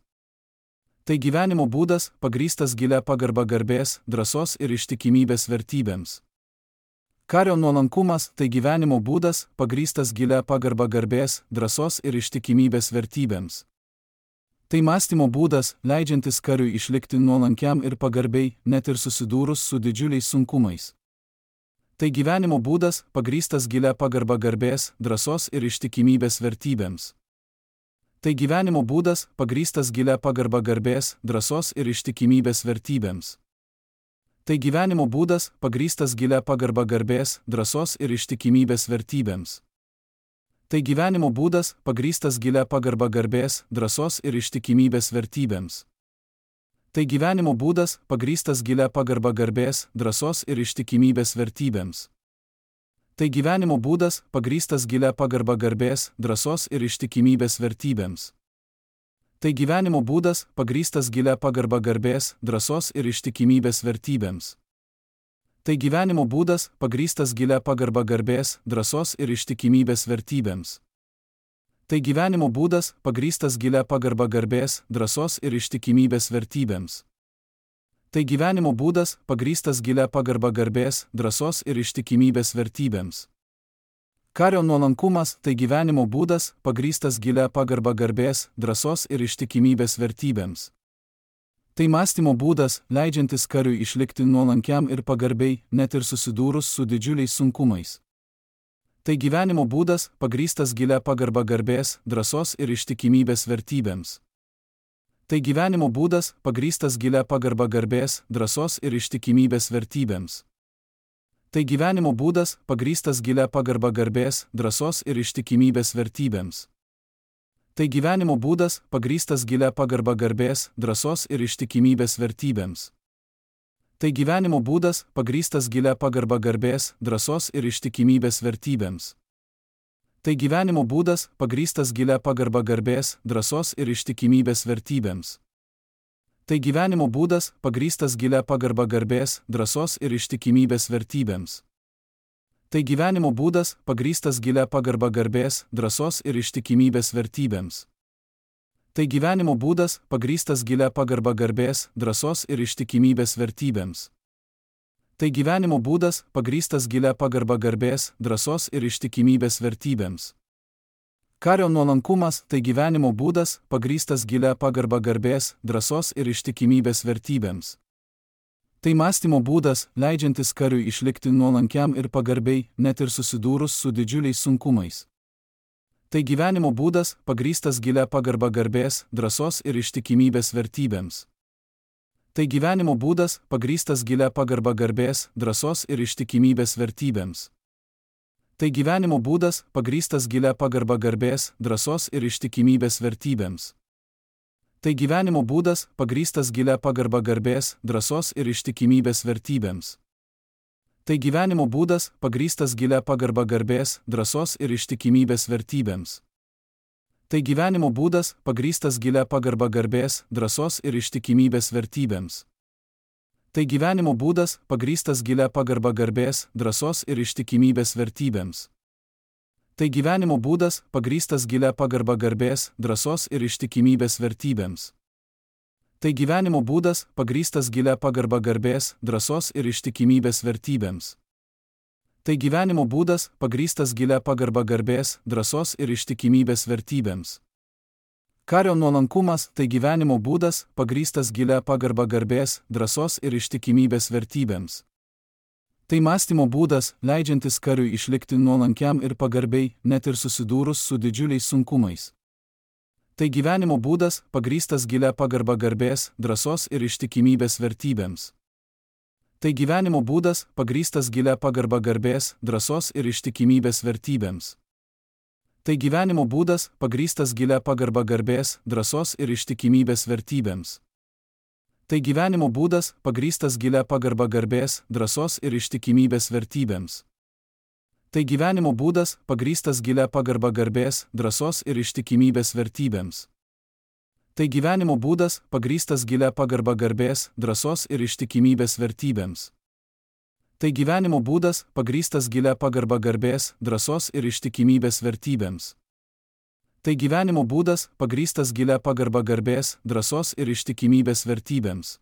A: Tai gyvenimo būdas, pagrįstas gilia pagarba garbės, drąsos ir ištikimybės vertybėms. Kario nuolankumas tai gyvenimo būdas, pagrįstas gilia pagarba garbės, drąsos ir ištikimybės vertybėms. Tai mąstymo būdas, leidžiantis kariui išlikti nuolankiam ir pagarbiai, net ir susidūrus su didžiuliais sunkumais. Tai gyvenimo būdas, pagrįstas gilia pagarba garbės, drąsos ir ištikimybės vertybėms. Tai gyvenimo būdas, pagrįstas gilia pagarba garbės, drąsos ir ištikimybės vertybėms. Tai gyvenimo būdas, pagrįstas gilia pagarba garbės, drąsos ir ištikimybės vertybėms. Tai gyvenimo būdas, pagrįstas gilia pagarba garbės, drąsos ir ištikimybės vertybėms. Tai gyvenimo būdas, pagrįstas gilia pagarba garbės, drąsos ir ištikimybės vertybėms. Tai gyvenimo būdas, pagrįstas gilia pagarba garbės, drąsos ir ištikimybės vertybėms. Tai gyvenimo būdas, pagrįstas gilia pagarba garbės, drąsos ir ištikimybės vertybėms. Tai gyvenimo būdas, pagrįstas gilia pagarba garbės, drąsos ir ištikimybės vertybėms. Tai gyvenimo būdas, pagrįstas gilia pagarba garbės, drąsos ir ištikimybės vertybėms. Tai gyvenimo būdas, pagrįstas gilia pagarba garbės, drąsos ir ištikimybės vertybėms. Kario nuolankumas tai gyvenimo būdas, pagrįstas gilia pagarba garbės, drąsos ir ištikimybės vertybėms. Tai mąstymo būdas, leidžiantis kariui išlikti nuolankiam ir pagarbiai, net ir susidūrus su didžiuliais sunkumais. Tai gyvenimo būdas, pagrįstas gilia pagarba garbės, drąsos ir ištikimybės vertybėms. Tai gyvenimo būdas, pagrįstas gilia pagarba garbės, drąsos ir ištikimybės vertybėms. Tai gyvenimo būdas, pagrįstas gilia pagarba garbės, drąsos ir ištikimybės vertybėms. Tai gyvenimo būdas, pagrįstas gilia pagarba garbės, drąsos ir ištikimybės vertybėms. Tai gyvenimo būdas, pagrįstas gilia pagarba garbės, drąsos ir ištikimybės vertybėms. Tai gyvenimo būdas, pagrįstas gilia pagarba garbės, drąsos ir ištikimybės vertybėms. Tai gyvenimo būdas, pagrįstas gilia pagarba garbės, drąsos ir ištikimybės vertybėms. Tai gyvenimo būdas, pagrįstas gilia pagarba garbės, drąsos ir ištikimybės vertybėms. Tai gyvenimo būdas, pagrįstas gilia pagarba garbės, drąsos ir ištikimybės vertybėms. Tai gyvenimo būdas, pagrįstas gilia pagarba garbės, drąsos ir ištikimybės vertybėms. Kario nuolankumas tai gyvenimo būdas, pagrįstas gilia pagarba garbės, drąsos ir ištikimybės vertybėms. Tai mąstymo būdas, leidžiantis kariui išlikti nuolankiam ir pagarbiai, net ir susidūrus su didžiuliais sunkumais. Tai gyvenimo būdas, pagrįstas gilia pagarba garbės, drąsos ir ištikimybės vertybėms. Tai gyvenimo būdas, pagrįstas gilia pagarba garbės, drąsos ir ištikimybės vertybėms. Tai gyvenimo būdas, pagrįstas gilia pagarba garbės, drąsos ir ištikimybės vertybėms. Tai gyvenimo būdas, pagrįstas gilia pagarba garbės, drąsos ir ištikimybės vertybėms. Tai gyvenimo būdas, pagrįstas gilia pagarba garbės, drąsos ir ištikimybės vertybėms. Tai gyvenimo būdas, pagrįstas gilia pagarba garbės, drąsos ir ištikimybės vertybėms. Tai gyvenimo būdas, pagrįstas gilia pagarba garbės, drąsos ir ištikimybės vertybėms. Tai gyvenimo būdas, pagrįstas gilia pagarba garbės, drąsos ir ištikimybės vertybėms. Tai gyvenimo būdas, pagrįstas gilia pagarba garbės, drąsos ir ištikimybės vertybėms. Tai gyvenimo būdas, pagrįstas gilia pagarba garbės, drąsos ir ištikimybės vertybėms. Kario nuolankumas tai gyvenimo būdas, pagrįstas gilia pagarba garbės, drąsos ir ištikimybės vertybėms. Tai mąstymo būdas, leidžiantis kariui išlikti nuolankiam ir pagarbiai, net ir susidūrus su didžiuliais sunkumais. Tai gyvenimo būdas, pagrįstas gilia pagarba garbės, drąsos ir ištikimybės vertybėms. Tai gyvenimo būdas, pagrįstas gilia pagarba garbės, drąsos ir ištikimybės vertybėms. Tai gyvenimo būdas, pagrįstas gilia pagarba garbės, drąsos ir ištikimybės vertybėms. Tai gyvenimo būdas, pagrįstas gilia pagarba garbės, drąsos ir ištikimybės vertybėms. Tai gyvenimo būdas, pagrįstas gilia pagarba garbės, drąsos ir ištikimybės vertybėms. Tai gyvenimo būdas, pagrįstas gilia pagarba garbės, drąsos ir ištikimybės vertybėms. Tai gyvenimo būdas, pagrįstas gilia pagarba garbės, drąsos ir ištikimybės vertybėms. Tai gyvenimo būdas, pagrįstas gilia pagarba garbės, drąsos ir ištikimybės vertybėms.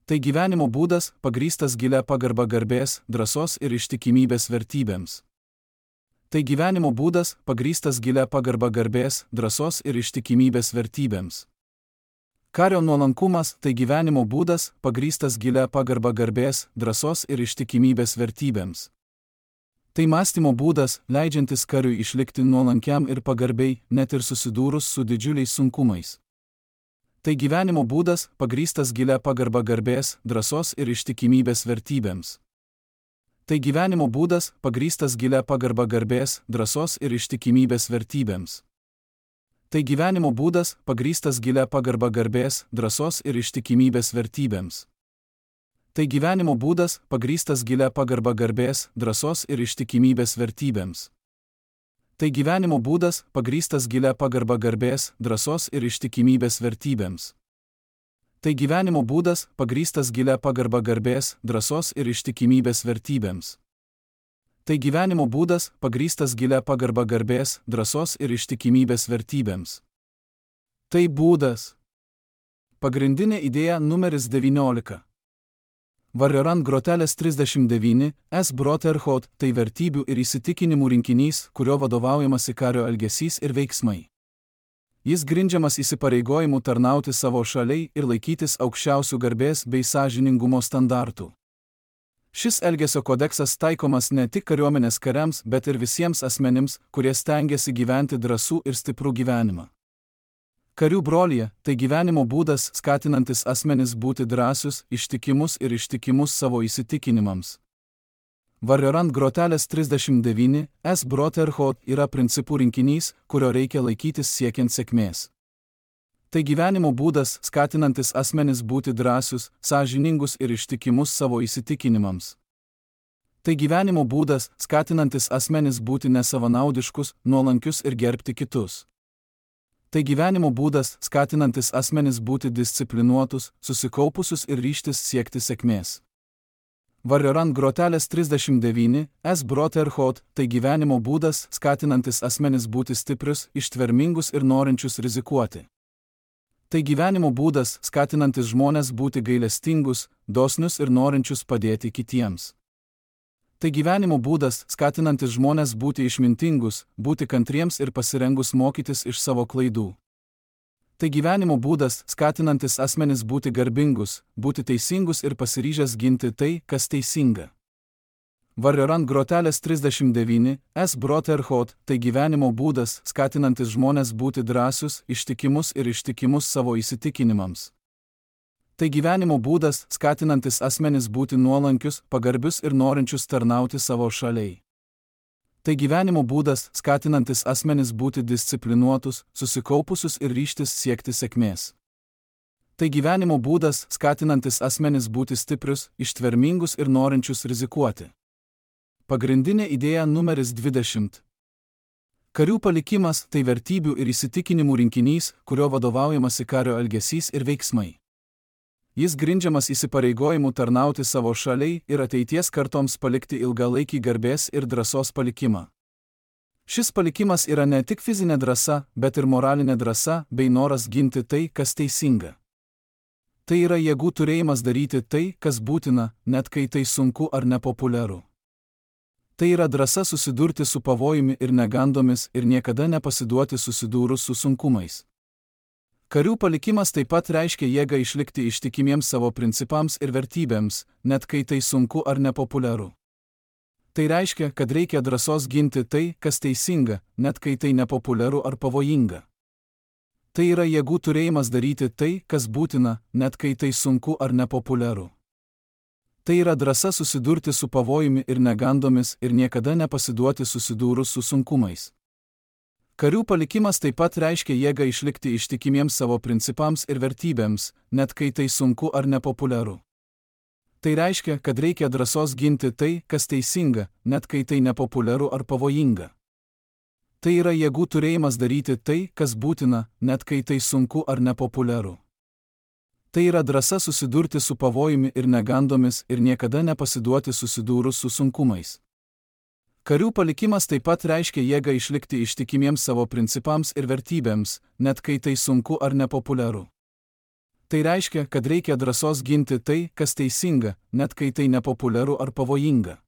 A: Tai gyvenimo būdas, pagrįstas gilia pagarba garbės, drąsos ir ištikimybės vertybėms. Tai gyvenimo būdas, pagrįstas gilia pagarba garbės, drąsos ir ištikimybės vertybėms. Kario nuolankumas tai gyvenimo būdas, pagrįstas gilia pagarba garbės, drąsos ir ištikimybės vertybėms. Tai mąstymo būdas, leidžiantis kariui išlikti nuolankiam ir pagarbiai, net ir susidūrus su didžiuliais sunkumais. Tai gyvenimo būdas, pagrįstas gilia pagarba garbės, drąsos ir ištikimybės vertybėms. Tai gyvenimo būdas, pagrįstas gilia pagarba garbės, drąsos ir ištikimybės vertybėms. Tai gyvenimo būdas, pagrįstas gilia pagarba garbės, drąsos ir ištikimybės vertybėms. Tai gyvenimo būdas, pagrįstas gilia pagarba garbės, drąsos ir ištikimybės vertybėms. Tai gyvenimo būdas, pagrįstas gilia pagarba garbės, drąsos ir ištikimybės vertybėms. Tai gyvenimo būdas, pagrįstas gilia pagarba garbės, drąsos ir ištikimybės vertybėms. Tai gyvenimo būdas, pagrįstas gilia pagarba garbės, drąsos ir ištikimybės vertybėms. Tai būdas. Pagrindinė idėja numeris 19. Varjorant grotelės 39, S. Brotherhood tai vertybių ir įsitikinimų rinkinys, kurio vadovaujamasi kario elgesys ir veiksmai. Jis grindžiamas įsipareigojimu tarnauti savo šaliai ir laikytis aukščiausių garbės bei sąžiningumo standartų. Šis elgesio kodeksas taikomas ne tik kariuomenės kariams, bet ir visiems asmenims, kurie stengiasi gyventi drąsų ir stiprų gyvenimą. Karių brolija tai gyvenimo būdas skatinantis asmenis būti drąsius, ištikimus ir ištikimus savo įsitikinimams. Varjorant grotelės 39, S. Brotherhood yra principų rinkinys, kurio reikia laikytis siekiant sėkmės. Tai gyvenimo būdas skatinantis asmenis būti drąsius, sąžiningus ir ištikimus savo įsitikinimams. Tai gyvenimo būdas skatinantis asmenis būti nesavanaudiškus, nuolankius ir gerbti kitus. Tai gyvenimo būdas skatinantis asmenis būti disciplinuotus, susikaupusius ir ryžtis siekti sėkmės. Varjoran grotelės 39, S. Brotherhood, tai gyvenimo būdas, skatinantis asmenis būti stiprius, ištvermingus ir norinčius rizikuoti. Tai gyvenimo būdas, skatinantis žmones būti gailestingus, dosnius ir norinčius padėti kitiems. Tai gyvenimo būdas, skatinantis žmones būti išmintingus, būti kantriems ir pasirengus mokytis iš savo klaidų. Tai gyvenimo būdas, skatinantis asmenis būti garbingus, būti teisingus ir pasiryžęs ginti tai, kas teisinga. Varjoran grotelės 39, S. Brotherhood, tai gyvenimo būdas, skatinantis žmones būti drąsius, ištikimus savo įsitikinimams. Tai gyvenimo būdas, skatinantis asmenis būti nuolankius, pagarbius ir norinčius tarnauti savo šaliai. Tai gyvenimo būdas, skatinantis asmenis būti disciplinuotus, susikaupusius ir ryžtis siekti sėkmės. Tai gyvenimo būdas, skatinantis asmenis būti stiprius, ištvermingus ir norinčius rizikuoti. Pagrindinė idėja numeris 20. Karių palikimas tai vertybių ir įsitikinimų rinkinys, kurio vadovaujamasi kario elgesys ir veiksmai. Jis grindžiamas įsipareigojimu tarnauti savo šaliai ir ateities kartoms palikti ilgalaikį garbės ir drąsos palikimą. Šis palikimas yra ne tik fizinė drąsa, bet ir moralinė drąsa bei noras ginti tai, kas teisinga. Tai yra jėgų turėjimas daryti tai, kas būtina, net kai tai sunku ar nepopuliaru. Tai yra drąsa susidurti su pavojumi ir negandomis ir niekada nepasiduoti susidūrus su sunkumais. Karių palikimas taip pat reiškia jėgą išlikti ištikimiems savo principams ir vertybėms, net kai tai sunku ar nepopuliaru. Tai reiškia, kad reikia drąsos ginti tai, kas teisinga, net kai tai nepopuliaru ar pavojinga. Tai yra jėgų turėjimas daryti tai, kas būtina, net kai tai sunku ar nepopuliaru. Tai yra drąsa susidurti su pavojumi ir negandomis ir niekada nepasiduoti susidūrus su sunkumais. Karių palikimas taip pat reiškia jėgą išlikti ištikimiems savo principams ir vertybėms, net kai tai sunku ar nepopuliaru. Tai reiškia, kad reikia drąsos ginti tai, kas teisinga, net kai tai nepopuliaru ar pavojinga. Tai yra jėgų turėjimas daryti tai, kas būtina, net kai tai sunku ar nepopuliaru. Tai yra drąsa susidurti su pavojumi ir negandomis ir niekada nepasiduoti susidūrus su sunkumais. Karių palikimas taip pat reiškia jėgą išlikti ištikimiems savo principams ir vertybėms, net kai tai sunku ar nepopuliaru. Tai reiškia, kad reikia drąsos ginti tai, kas teisinga, net kai tai nepopuliaru ar pavojinga.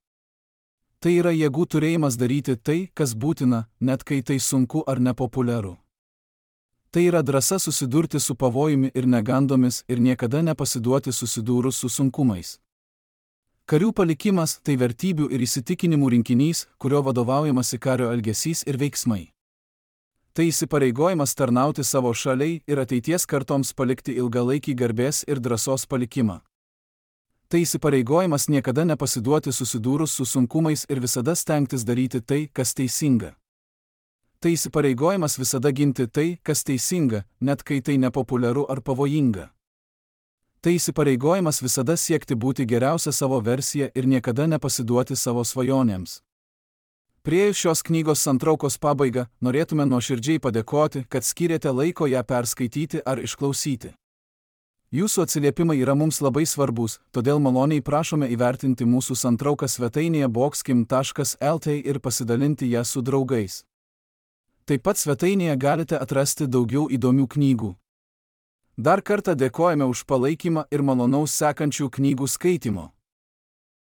A: Tai yra jėgų turėjimas daryti tai, kas būtina, net kai tai sunku ar nepopuliaru. Tai yra drąsa susidurti su pavojumi ir negandomis ir niekada nepasiduoti susidūrus su sunkumais. Karių palikimas tai vertybių ir įsitikinimų rinkinys, kurio vadovaujamasi kario elgesys ir veiksmai. Tai įsipareigojimas tarnauti savo šaliai ir ateities kartoms palikti ilgalaikį garbės ir drąsos palikimą. Tai įsipareigojimas niekada nepasiduoti susidūrus su sunkumais ir visada stengtis daryti tai, kas teisinga. Tai įsipareigojimas visada ginti tai, kas teisinga, net kai tai nepopuliaru ar pavojinga. Tai įsipareigojimas visada siekti būti geriausia savo versija ir niekada nepasiduoti savo svajonėms. Priėjus šios knygos santraukos pabaigą, norėtume nuoširdžiai padėkoti, kad skyrėte laiko ją perskaityti ar išklausyti. Jūsų atsiliepimai yra mums labai svarbus, todėl maloniai prašome įvertinti mūsų santrauką svetainėje boxkim.lt ir pasidalinti ją su draugais. Taip pat svetainėje galite atrasti daugiau įdomių knygų. Dar kartą dėkojame už palaikymą ir malonaus sekančių knygų skaitimo.